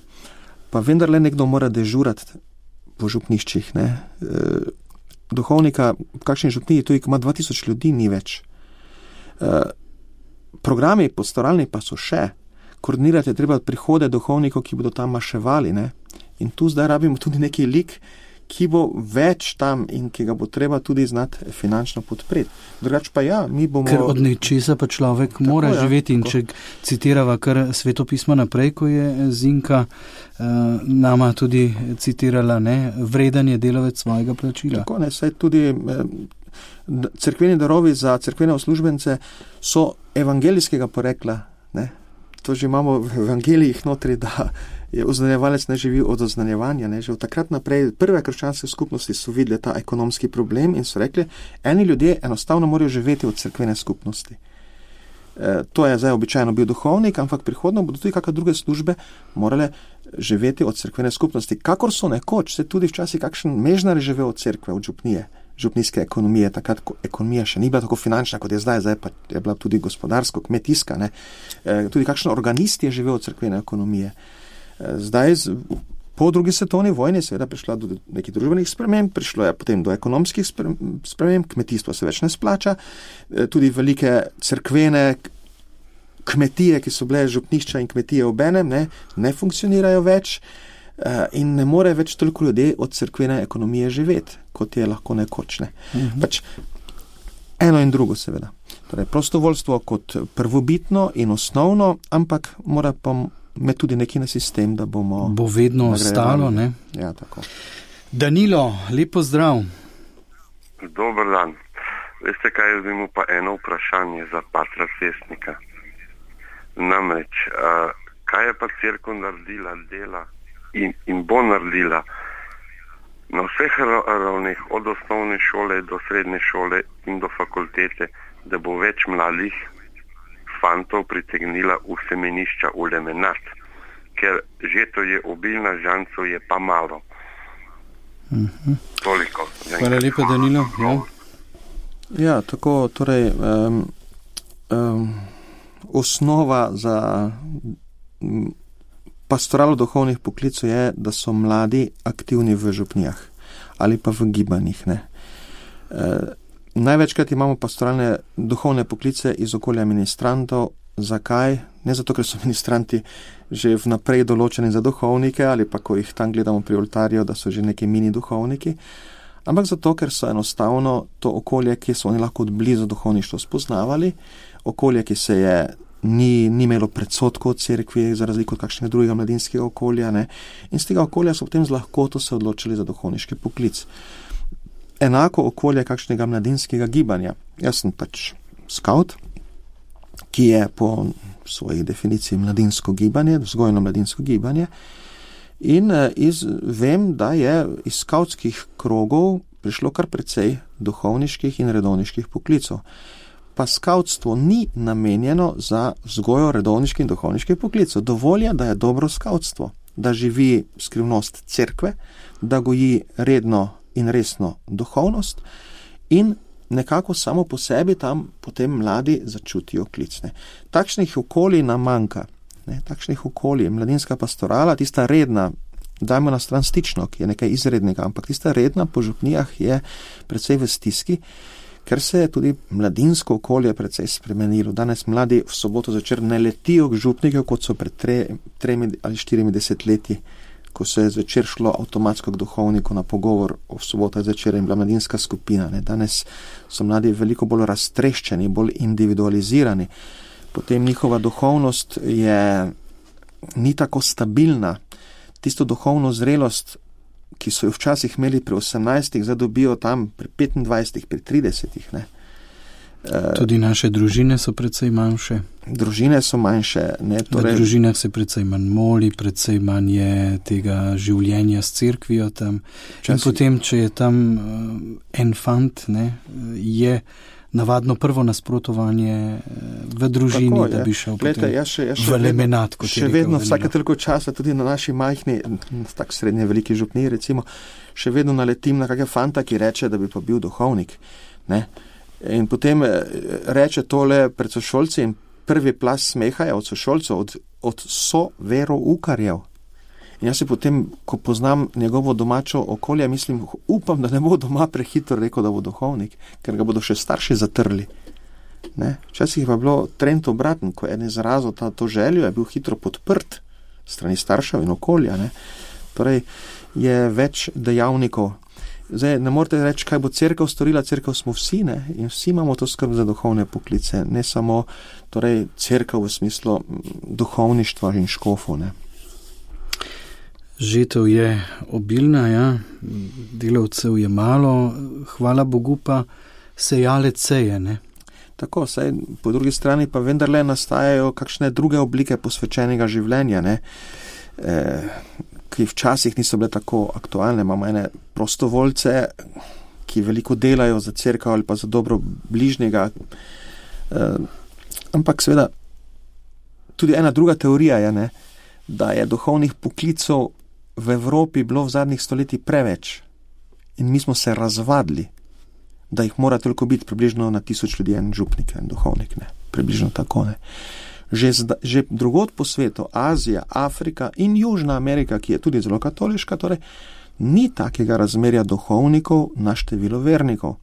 pa vendarle nekdo mora dežurati po župniščih, ne. Uh, duhovnika, v kakšni župniji, tudi ko ima dva tisoč ljudi, ni več. Uh, programi pastoralni pa so še. Koordinirati je treba prihode duhovnikov, ki bodo tam maševali, ne. In tu zdaj rabimo tudi neki lik, ki bo več tam in ki ga bo treba tudi znati finančno podpreti. Drugač pa ja, mi bomo... Ker od nečesa pa človek tako, mora ja, živeti in tako. Če citirava kar Sveto pismo naprej, ko je Zinka uh, nama tudi citirala, ne, vreden je delavec svojega plačila. Tako, ne, saj tudi eh, cerkveni darovi za cerkvene uslužbence so evangelijskega porekla, ne. To že imamo v evangelijih notri, da je oznanjevalec ne živi od oznanjevanja. Ne? Že od takrat naprej prve krščanske skupnosti so videli ta ekonomski problem in so rekli, eni ljudje enostavno morajo živeti od cerkvene skupnosti. E, to je zdaj običajno bil duhovnik, ampak prihodno bodo tudi kakšne druge službe morale živeti od cerkvene skupnosti. Kakor so nekoč, se tudi včasih kakšen mežnar živel od cerkve, od župnije, župnijske ekonomije, takrat ekonomija še ni bila tako finančna, kot je zdaj, zdaj pa je bila tudi gospodarsko, kmetijska, ne? E, tudi kakšen organist je živel od cerkvene ekonomije. E, zdaj, z, po drugi svetovni vojni seveda prišla do nekih družbenih sprememb, prišlo je potem do ekonomskih sprememb, kmetijstvo se več ne splača, e, tudi velike cerkvene kmetije, ki so bile župnišča in kmetije obenem, ne, ne funkcionirajo več. In ne more več toliko ljudi od cerkvene ekonomije živeti, kot je lahko nekoč. Ne. Uh-huh. Pač eno in drugo seveda. Torej, prostovoljstvo kot prvobitno in osnovno, ampak mora pa me tudi neki na sistem, da bomo... Bo vedno ostalo, ne? Ja, tako. Danilo, lepo zdrav. Dober dan. Veste kaj, jaz imam pa eno vprašanje za patra Cestnika. Namreč, uh, kaj je pa cerkev naredila dela In, in bo naredila na vseh ravneh, od osnovne šole do srednje šole in do fakultete, da bo več mladih fantov pritegnila v semenišča, v lemenat, ker že to je obilna, žancov je pa malo. Uh-huh. Toliko. Hvala lepa, Danilo. Ja, ja tako, torej um, um, osnova za Pastoral duhovnih poklicov je, da so mladi aktivni v župnijah ali pa v gibanjih. Ne. E, največkrat imamo pastoralne duhovne poklice iz okolja ministrantov. Zakaj? Ne zato, ker so ministranti že vnaprej določeni za duhovnike ali pa ko jih tam gledamo pri oltarju, da so že neki mini duhovniki, ampak zato, ker so enostavno to okolje, ki so oni lahko od blizu duhovništvo spoznavali, okolje, ki se je ni, ni imelo predsotkov od cerkvi, za razliko od kakšnega drugega mladinskega okolja, ne? In z tega okolja so potem z lahkoto se odločili za duhovniški poklic. Enako okolje kakšnega mladinskega gibanja. Jaz sem pač skaut, ki je po svoji definiciji mladinsko gibanje, vzgojno mladinsko gibanje, in iz, vem, da je iz skautskih krogov prišlo kar precej duhovniških in redovniških poklicov. Pa skautstvo ni namenjeno za vzgojo redovniških in duhovniških poklicov. Dovolj je, da je dobro skautstvo, da živi skrivnost cerkve, da goji redno in resno duhovnost in nekako samo po sebi tam potem mladi začutijo klicne. Takšnih okolij nam manjka, ne? Takšnih okolij, mladinska pastorala, tista redna, dajmo na stran stično, ki je nekaj izrednega, ampak tista redna po župnijah je precej v stiski, ker se je tudi mladinsko okolje precej spremenilo. Danes mladi v soboto zvečer ne letijo k župnikov, kot so pred tre, tremi ali štirimi desetletji, ko se je zvečer šlo avtomatsko k duhovniku na pogovor o soboto zvečer in bila mladinska skupina. Ne. Danes so mladi veliko bolj raztreščeni, bolj individualizirani. Potem njihova duhovnost je ni tako stabilna. Tisto duhovno zrelost, ki so jo včasih imeli pri osemnajstih, zdaj dobijo tam pri petindvajsetih, pri tridesetih. Ne. Tudi naše družine so precej manjše. Družine so manjše. Ne, torej... V družinah se precej manj moli, precej manj je tega življenja s cerkvijo tam. Časi... In potem, če je tam uh, en fant, ne, je navadno prvo nasprotovanje v družini, tako, da bi šel Glede, potem jaz še, jaz še v lemenat. Vedno, še vedno vsake toliko časa, tudi na naši majhni, tak srednje veliki župniji, recimo, še vedno naletim na kakega fanta, ki reče, da bi pa bil duhovnik. Ne? In potem reče tole pred sošolci in prvi plas smeha je od sošolcev, od, od soveroukarjev. In jaz se potem, ko poznam njegovo domačo okolje, mislim, upam, da ne bo doma prehitro rekel, da bo duhovnik, ker ga bodo še starši zatrli. Ne? Včasih je pa bilo trend obraten, ko je en izrazil ta, to željo, je bil hitro podprt strani staršev in okolja. Ne? Torej je več dejavnikov. Zdaj, ne morete reči, kaj bo cerkev storila, cerkev smo vsi, ne? In vsi imamo to skrb za duhovne poklice, ne samo torej, cerkev v smislu duhovništva in škofov. Ne? Žetev je obilna, ja, delavcev je malo, hvala Bogu pa sejalec seje, ne? Tako, saj po drugi strani pa vendarle nastajajo kakšne druge oblike posvečenega življenja, ne? E, ki včasih niso bile tako aktualne. Imamo ene prostovoljce, ki veliko delajo za cerkev ali pa za dobro bližnjega. E, ampak seveda tudi ena druga teorija je, ne, da je duhovnih poklicov v Evropi bilo v zadnjih stoletjih preveč in mi smo se razvadili, da jih mora toliko biti približno na tisoč ljudi en župnik, en duhovnik, ne, približno tako, ne. Že, zda, že drugod po svetu, Azija, Afrika in Južna Amerika, ki je tudi zelo katoliška, torej ni takega razmerja duhovnikov na število vernikov.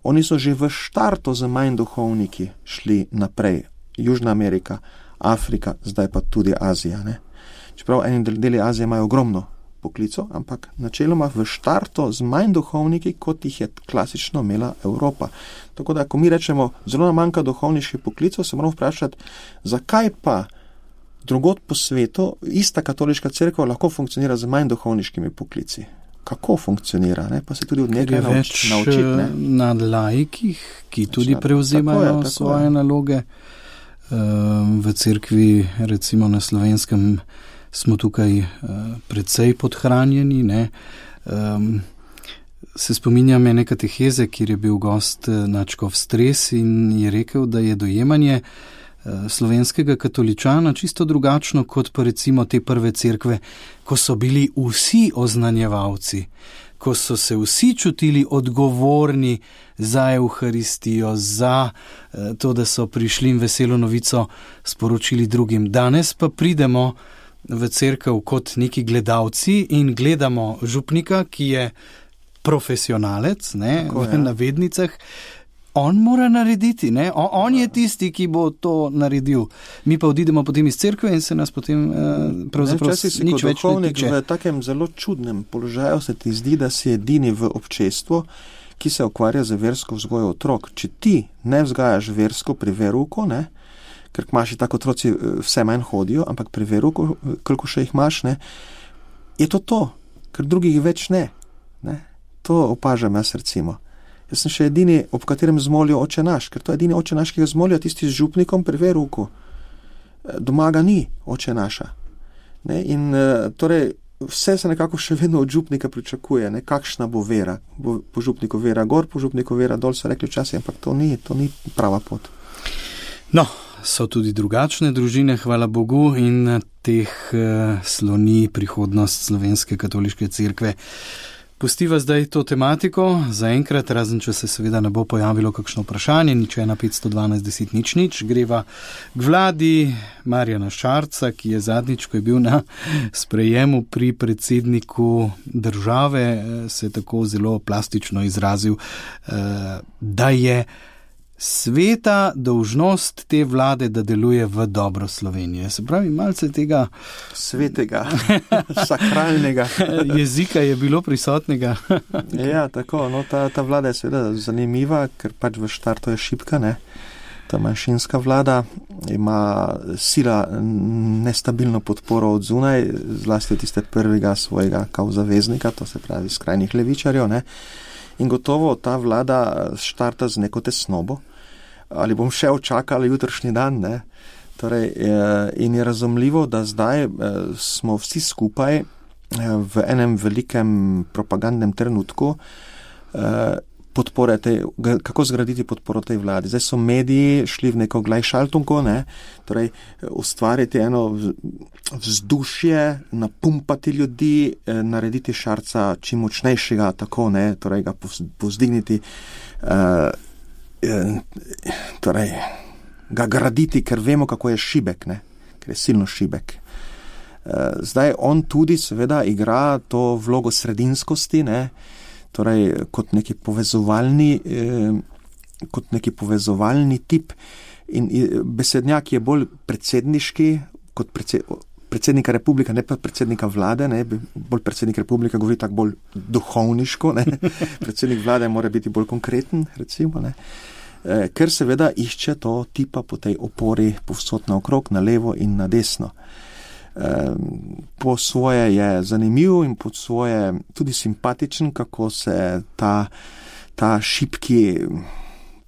Oni so že v štartu z manj duhovniki šli naprej. Južna Amerika, Afrika, zdaj pa tudi Azija. Ne? Čeprav eni deli Azije imajo ogromno poklicov, ampak načeloma v štartu z manj duhovniki, kot jih je klasično imela Evropa. Tako da, ko mi rečemo, zelo nam manjka duhovniških poklicov, se moramo vprašati, zakaj pa drugod po svetu ista katoliška cerkev lahko funkcionira z manj duhovniškimi poklici. Kako funkcionira, ne? Pa se tudi od nekaj nauč, naučiti. Je več nad laikih, ki tudi prevzemajo tako je, tako svoje je. naloge. V cerkvi, recimo na Slovenskem, smo tukaj precej podhranjeni. Ne? Se spominjam ene kateheze, kjer je bil gost nadškof Stres in je rekel, da je dojemanje slovenskega katoličana čisto drugačno kot pa recimo te prve cerkve, ko so bili vsi oznanjevalci. ko so se vsi čutili odgovorni za Evharistijo, za to, da so prišli in veselo novico sporočili drugim. Danes pa pridemo v cerkev kot neki gledalci in gledamo župnika, ki je profesionalec, ne, Tako, v ja. navednicah. On mora narediti, ne? On, on je tisti, ki bo to naredil. Mi pa odidemo potem iz cerkve in se nas potem eh, pravzaprav nič več ne tiče. V takem zelo čudnem položaju se ti zdi, da si edini v občestvu, ki se ukvarja z versko vzgojo otrok. Če ti ne vzgajaš versko pri veruku, ne? Ker imaš tako otroci vse manj hodijo, ampak pri veruku, koliko še jih imaš, ne? Je to to, ker drugih več ne. ne? To opažam jaz recimo. Jaz sem še edini, ob katerem zmolijo oče naš, ker to je edini oče naš, ki ga zmolijo tisti z župnikom pri veruku. Doma ga ni oče naša. Ne? In torej vse se nekako še vedno od župnika pričakuje, ne? Kakšna bo vera. Bo po župniku vera gor, po župniku vera dol, so rekli včasih, ampak to ni, to ni prava pot. No, so tudi drugačne družine, hvala Bogu, in teh uh, sloni prihodnost Slovenske katoliške cerkve. Pustiva zdaj to tematiko, zaenkrat, razen če se seveda ne bo pojavilo kakšno vprašanje, nič ena petsto dvanajst deset nič nič, greva k vladi Marjana Šarca, ki je zadnjič, ko je bil na sprejemu pri predsedniku države, se tako zelo plastično izrazil, da je sveta dolžnost te vlade, da deluje v dobro Slovenije. Se pravi, malce tega svetega, sakralnega jezika je bilo prisotnega. Ja, tako, no, ta, ta vlada je seveda zanimiva, ker pač v štartu je šibka, ne. Ta manjšinska vlada ima sila nestabilno podporo od zunaj, zlasti od tiste prvega svojega kao zaveznika, to se pravi skrajnih levičarjev, ne. In gotovo ta vlada štarta z neko tesnobo. Ali bom še očakal jutrišnji dan, ne? Torej, in je razumljivo, da zdaj smo vsi skupaj v enem velikem propagandnem trenutku podpore tej, kako zgraditi podporo tej vladi. Zdaj so mediji šli v neko Gleichschaltungo, ne? Torej, ustvariti eno vzdušje, napumpati ljudi, narediti Šarca čim močnejšega, tako, ne? Torej, ga povzdigniti, uh, torej, ga graditi, ker vemo, kako je šibek, ne? Ker je silno šibek. Zdaj on tudi seveda igra to vlogo sredinskosti, ne? Torej kot neki povezovalni, eh, kot neki povezovalni tip in besednjak je bolj predsedniški kot predsed, predsednika republika, ne pa predsednika vlade, ne? Bolj predsednik republika govori tako bolj duhovniško, ne? Predsednik vlade mora biti bolj konkreten, recimo, ne? Eh, ker seveda išče to tipa po tej opori povsod naokrog, na levo in na desno. Po svoje je zanimiv in po svoje tudi simpatičen, kako se ta, ta šibki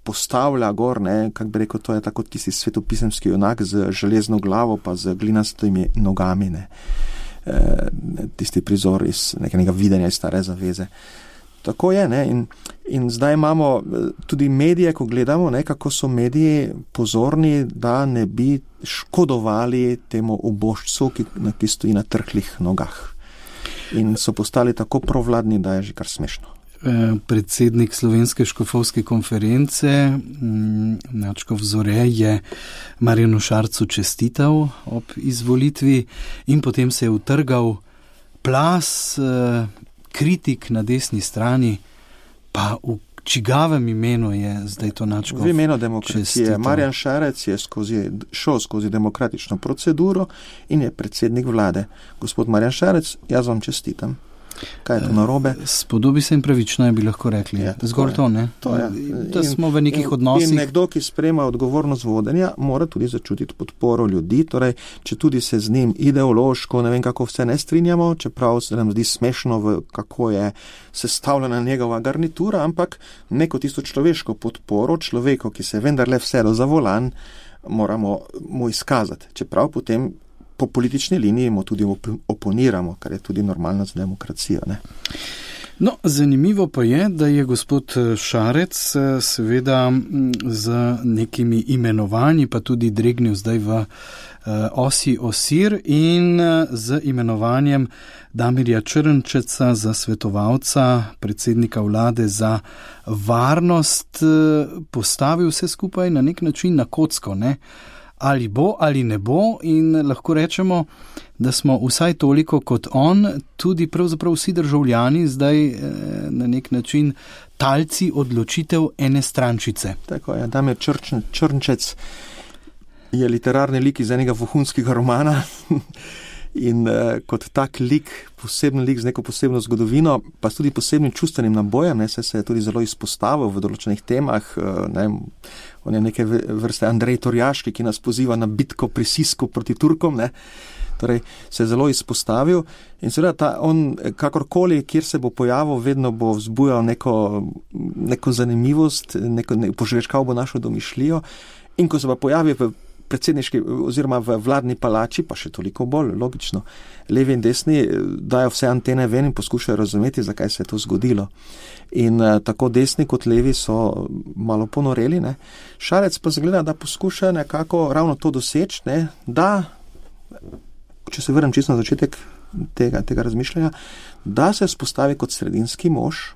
postavlja gor, ne, kak bi rekel, to je tako tisti svetopisemski junak z železno glavo pa z glinastimi nogami, ne. E, tisti prizor iz nekega videnja iz stare zaveze. Tako je, ne, in, in zdaj imamo tudi medije, ko gledamo, ne, kako so mediji pozorni, da ne bi škodovali temu ubožcu, ki, ki stoji na trhlih nogah. In so postali tako provladni, da je že kar smešno. Predsednik Slovenske škofovske konference, Načkov Zore, je Marjanu Šarcu čestital ob izvolitvi in potem se je utrgal plas kritik na desni strani, pa v čigavem imenu je zdaj to Načkov v imenu demokracije. Čestital. Marjan Šarec je skozi, šel skozi demokratično proceduro in je predsednik vlade. Gospod Marjan Šarec, jaz vam čestitam. Kaj je to narobe? Spodobi se in pravično je bi lahko rekli. Ja, Zgor to, ne? To je. Da smo v nekih odnosih. In nekdo, ki sprejema odgovornost vodenja, mora tudi začutiti podporo ljudi, torej, če tudi se z njim ideološko, ne vem kako vse ne strinjamo, čeprav se nam zdi smešno, v kako je sestavljena njegova garnitura, ampak neko tisto človeško podporo, človeko, ki se vendarle vsedo za volan, moramo mu izkazati. Čeprav potem po politični liniji mu tudi oponiramo, kar je tudi normalno za demokracijo, ne? No, zanimivo pa je, da je gospod Šarec seveda z nekimi imenovanji pa tudi dregnil zdaj v osi osir in z imenovanjem Damirja Črnčeca za svetovalca predsednika vlade za varnost postavil vse skupaj na nek način na kocko, ne? Ali bo ali ne bo, in lahko rečemo, da smo vsaj toliko kot on, tudi pravzaprav vsi državljani zdaj eh, na nek način talci odločitev ene strančice. Tako je, Damir Črnčec je literarni lik iz enega vohunskega romana in eh, kot tak lik, poseben lik z neko posebno zgodovino, pa s tudi posebnim čustvenim nabojem, ne, se, se je tudi zelo izpostavil v določenih temah, eh, ne, on je neke vrste Andrej Torjaški, ki nas poziva na bitko pri Sisku proti Turkom, ne, torej se je zelo izpostavil in seveda ta, on kakorkoli, kjer se bo pojavil, vedno bo vzbujal neko, neko zanimivost, neko, ne, požvečkal bo našo domišljijo, in ko se pa pojavi v predsedniški oziroma v vladni palači, pa še toliko bolj logično, levi in desni dajo vse antene ven in poskušajo razumeti, zakaj se je to zgodilo. In uh, tako desni kot levi so malo ponoreli, ne. Šarec pa zgleda, da poskuša nekako ravno to doseči, ne, da, če se vrnem čisto na začetek tega, tega razmišljanja, da se spostavi kot sredinski mož,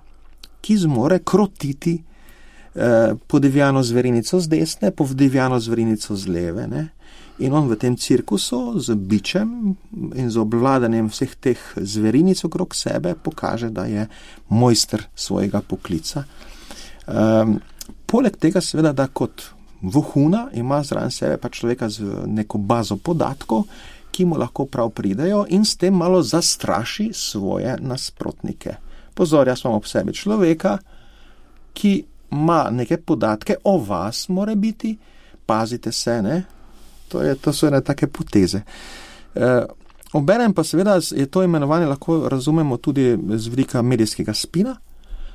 ki zmore krotiti eh, podivjano zverinico z desne, podivjano zverinico z leve, ne. In on v tem cirkusu z bičem in z obvladanjem vseh teh zverinic okrog sebe pokaže, da je mojster svojega poklica. Um, poleg tega seveda, da kot vohuna ima zraven sebe pa človeka z neko bazo podatkov, ki mu lahko prav pridejo in s tem malo zastraši svoje nasprotnike. Pozor, jaz imam ob sebi človeka, ki ima neke podatke o vas, more biti, pazite se, ne? To, je, to so ene take poteze. E, obenem pa seveda je to imenovanje lahko razumemo tudi z vidika medijskega spina,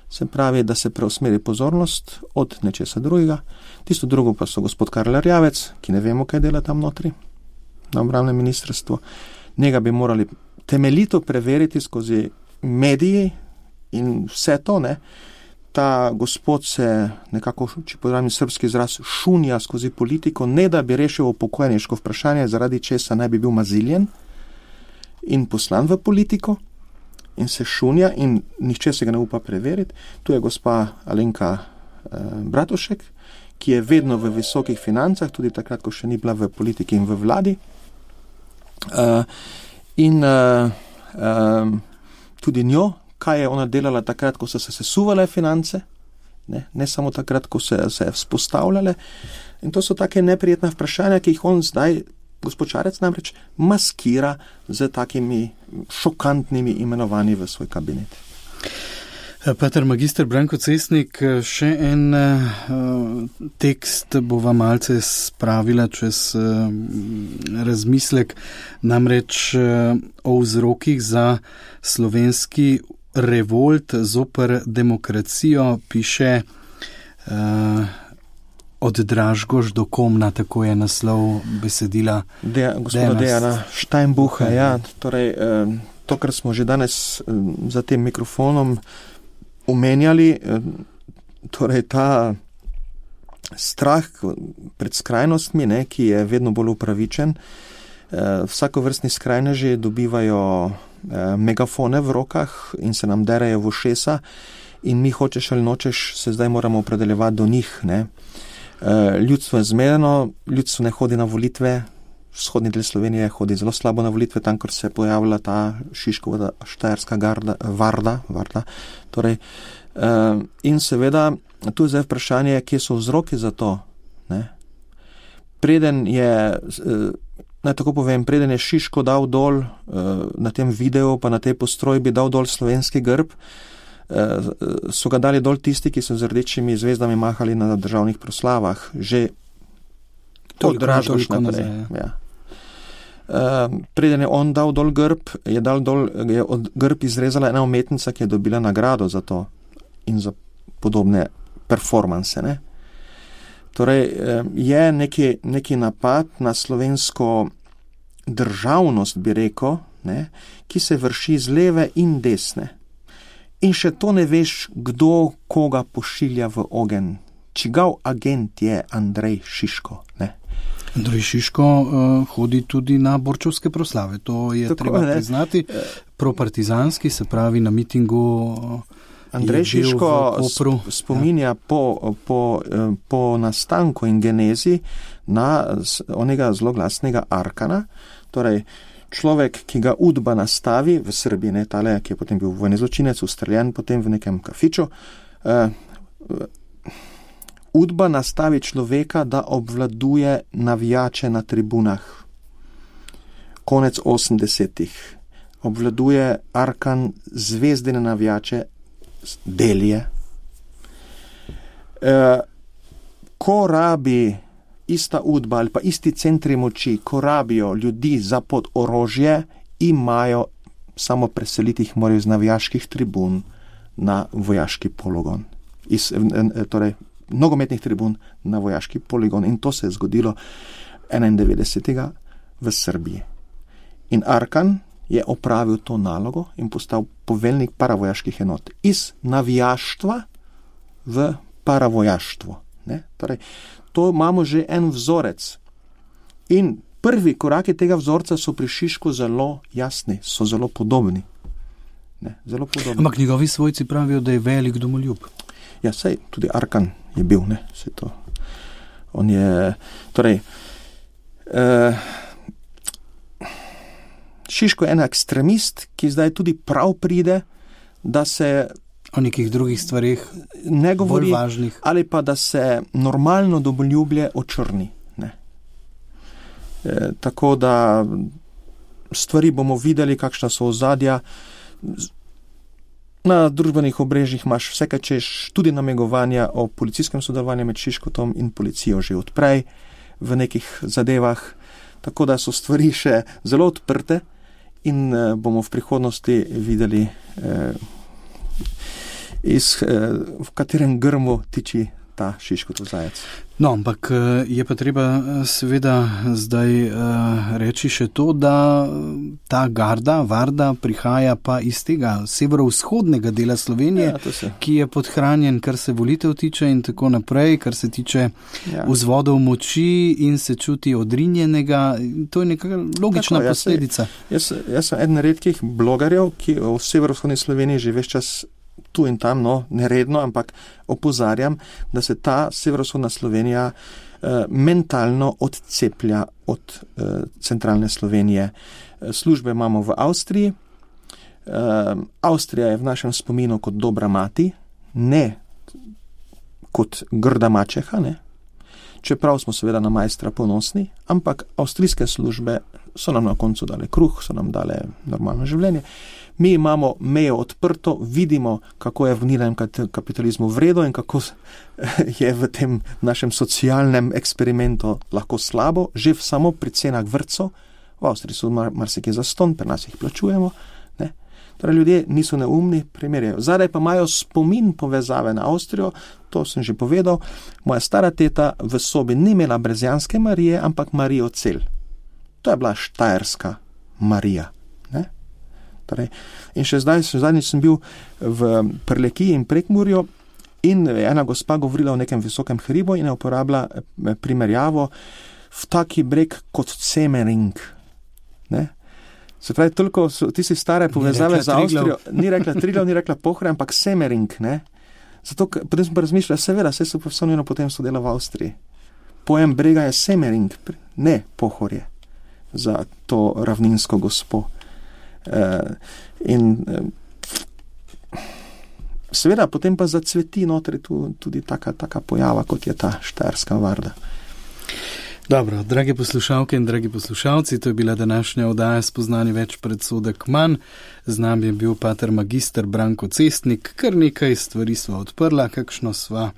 se pravi, da se preusmeri pozornost od nečesa drugega. Tisto drugo pa so gospod Karl Erjavec, ki ne vemo, kaj dela tam notri, na obrambnem ministrstvu. Njega bi morali temeljito preveriti skozi mediji in vse to, ne. Ta gospod se nekako, če podravim srpski izraz, šunja skozi politiko, ne da bi rešil upokojeniško vprašanje, zaradi česa naj bi bil maziljen in poslan v politiko in se šunja in nihče se ga ne upa preveriti. Tu je gospa Alenka eh, Bratušek, ki je vedno v visokih financah, tudi takrat, ko še ni bila v politiki in v vladi. Uh, in uh, um, tudi njo, kaj je ona delala takrat, ko so se sesuvale finance, ne, ne samo takrat, ko se se vzpostavljale. In to so take neprijetna vprašanja, ki jih on zdaj, gospod Šarec, namreč maskira z takimi šokantnimi imenovanji v svoj kabinet. Peter magister Branko Cesnik, še en uh, tekst bova malce spravila čez uh, razmislek, namreč uh, o vzrokih za slovenski revolt zoper demokracijo, piše uh, Od Dražgoš do Komna, tako je naslov besedila. De, gospoda Dejana Steinbucha, ja, torej uh, to, kar smo že danes uh, za tem mikrofonom omenjali, torej ta strah pred skrajnostmi, ne, ki je vedno bolj upravičen. Vsakovrstni skrajneži dobivajo megafone v rokah in se nam derajo v ušesa in mi, hočeš ali nočeš, se zdaj moramo opredeljevati do njih, ne. Ljudstvo je zmedeno, ljudstvo ne hodi na volitve, vzhodni del Slovenije hodi zelo slabo na volitve, tam, kjer se je pojavila ta Šiškova štajerska garda, varda, varda. Torej, uh, in seveda, tu je zdaj vprašanje, kje so vzroki za to, ne? Preden je, uh, naj tako povem, preden je Šiško dal dol uh, na tem videu, pa na tej postrojbi dal dol slovenski grb, uh, so ga dali dol tisti, ki so z rdečimi zvezdami mahali na državnih proslavah, že od Dražgoš naprej. Ja. Uh, preden je on dal dol grb, je, dal dol, je od grb izrezala ena umetnica, ki je dobila nagrado za to in za podobne performanse. Ne? Torej, uh, je neki, neki napad na slovensko državnost, bi rekel, ne, ki se vrši z leve in desne. In še to ne veš, kdo koga pošilja v ogen. Čigav agent je Andrej Šiško, ne? Andrej Šiško uh, hodi tudi na borčovske proslave, to je tako, treba ne? priznati. Propartizanski, se pravi na mitingu. Uh, Andrej Šiško spominja ja. po, po, po nastanku in genezi na onega zelo glasnega Arkana, torej človek, ki ga Udba nastavi v Srbiji, ne, tale, ki je potem bil vojni zločinec, ustreljen potem v nekem kafiču. Uh, Udba nastavi človeka, da obvladuje navijače na tribunah. Konec osemdesetih. Obvladuje Arkan zvezdine navijače, delje. Uh, ko rabi ista Udba ali pa isti centri moči, ko rabijo ljudi za pod orožje, imajo samo preseliti jih morajo z navijaških tribun na vojaški poligon. Iz, torej, nogometnih tribun na vojaški poligon. In to se je zgodilo enaindevetdesetega v Srbiji. In Arkan je opravil to nalogo in postal poveljnik paravojaških enot. Iz navijaštva v paravojaštvo. Ne? Torej, to imamo že en vzorec. In prvi koraki tega vzorca so pri Šišku zelo jasni, so zelo podobni. Ne, zelo podobni. Ampak njegovi svojci pravijo, da je velik domoljub. Ja, sej, tudi Arkan je bil, ne, sej to. On je, torej, uh, Šiško je en ekstremist, ki zdaj tudi prav pride, da se o nekih drugih stvarih ne govori, bolj važnih. Ali pa da se normalno domoljublje očrni. Ne. E, tako da stvari bomo videli, kakšna so ozadja. Na družbenih obrežjih imaš vse, kaj češ, tudi namigovanja o policijskem sodelovanju med Šiškotom in policijo že odprej v nekih zadevah. Tako da so stvari še zelo odprte in e, bomo v prihodnosti videli e, iz, v katerem grmu tiči ta Šiškotov zajec. No, ampak je pa treba seveda zdaj reči še to, da ta garda, Varda, prihaja pa iz tega severovzhodnega dela Slovenije, ja, ki je podhranjen, kar se volitev tiče in tako naprej, kar se tiče ja. vzvodov moči in se čuti odrinjenega. To je neka logična tako, posledica. Jaz, jaz, jaz sem eden redkih blogerjev, ki v severovzhodni Sloveniji že ves čas tu in tam, no, neredno, ampak opozarjam, da se ta severovzhodna Slovenija eh, mentalno odceplja od eh, centralne Slovenije. Službe imamo v Avstriji. Eh, Avstrija je v našem spominu kot dobra mati, ne kot grda mačeha, ne. Čeprav smo seveda na majstra ponosni, ampak avstrijske službe so nam na koncu dale kruh, so nam dale normalno življenje. Mi imamo mejo odprto, vidimo, kako je v nilem kapitalizmu vredo in kako je v tem našem socialnem eksperimentu lahko slabo, že v samo pri cenah vrtcev. V Avstriji so mar, marsikaj zastonj, pri nas jih plačujemo. Ne? Torej, ljudje niso neumni, primerjajo. Zadaj pa imajo spomin povezave na Avstrijo, to sem že povedal. Moja stara teta v sobi ni imela brezjanske Marije, ampak Marijo Cel. To je bila štajerska Marija. Ne? Torej, in še zdaj, še zadnjič sem bil v Prlekiji in Prekmurju in ena gospa govorila o nekem visokem hribu in je uporabila primerjavo v taki breg kot Semering. Ne? Se pravi, toliko so tiste stare povezave z Avstrijo, ni rekla Triglav, ni rekla Pohorje, ampak Semering. Ne? Zato, potem sem pa razmišljala, seveda, vse so profesionalno potem so dela v Avstriji. Pojem brega je Semering, ne Pohorje, za to ravninsko gospo. Uh, in uh, seveda potem pa zacveti notri tu, tudi taka, taka pojava, kot je ta štajerska Varda. Dobro, dragi poslušalke in dragi poslušalci, to je bila današnja oddaja Spoznani več, predsodek manj. Z nami je bil pater magister Branko Cestnik, kar nekaj stvari sva odprla, kakšno sva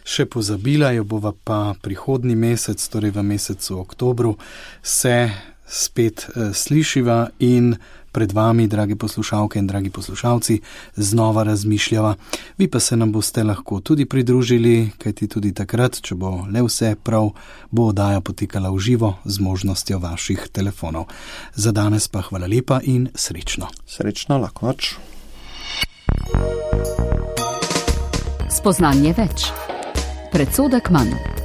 še pozabila, jo bova pa prihodnji mesec, torej v mesecu oktobru, se spet uh, slišiva in pred vami, dragi poslušalke in dragi poslušalci, znova razmišljava. Vi pa se nam boste lahko tudi pridružili, kajti tudi takrat, če bo le vse prav, bo oddaja potekala v živo z možnostjo vaših telefonov. Za danes pa hvala lepa in srečno. Srečno, lahko noč. Spoznanje več. Predsodek manj.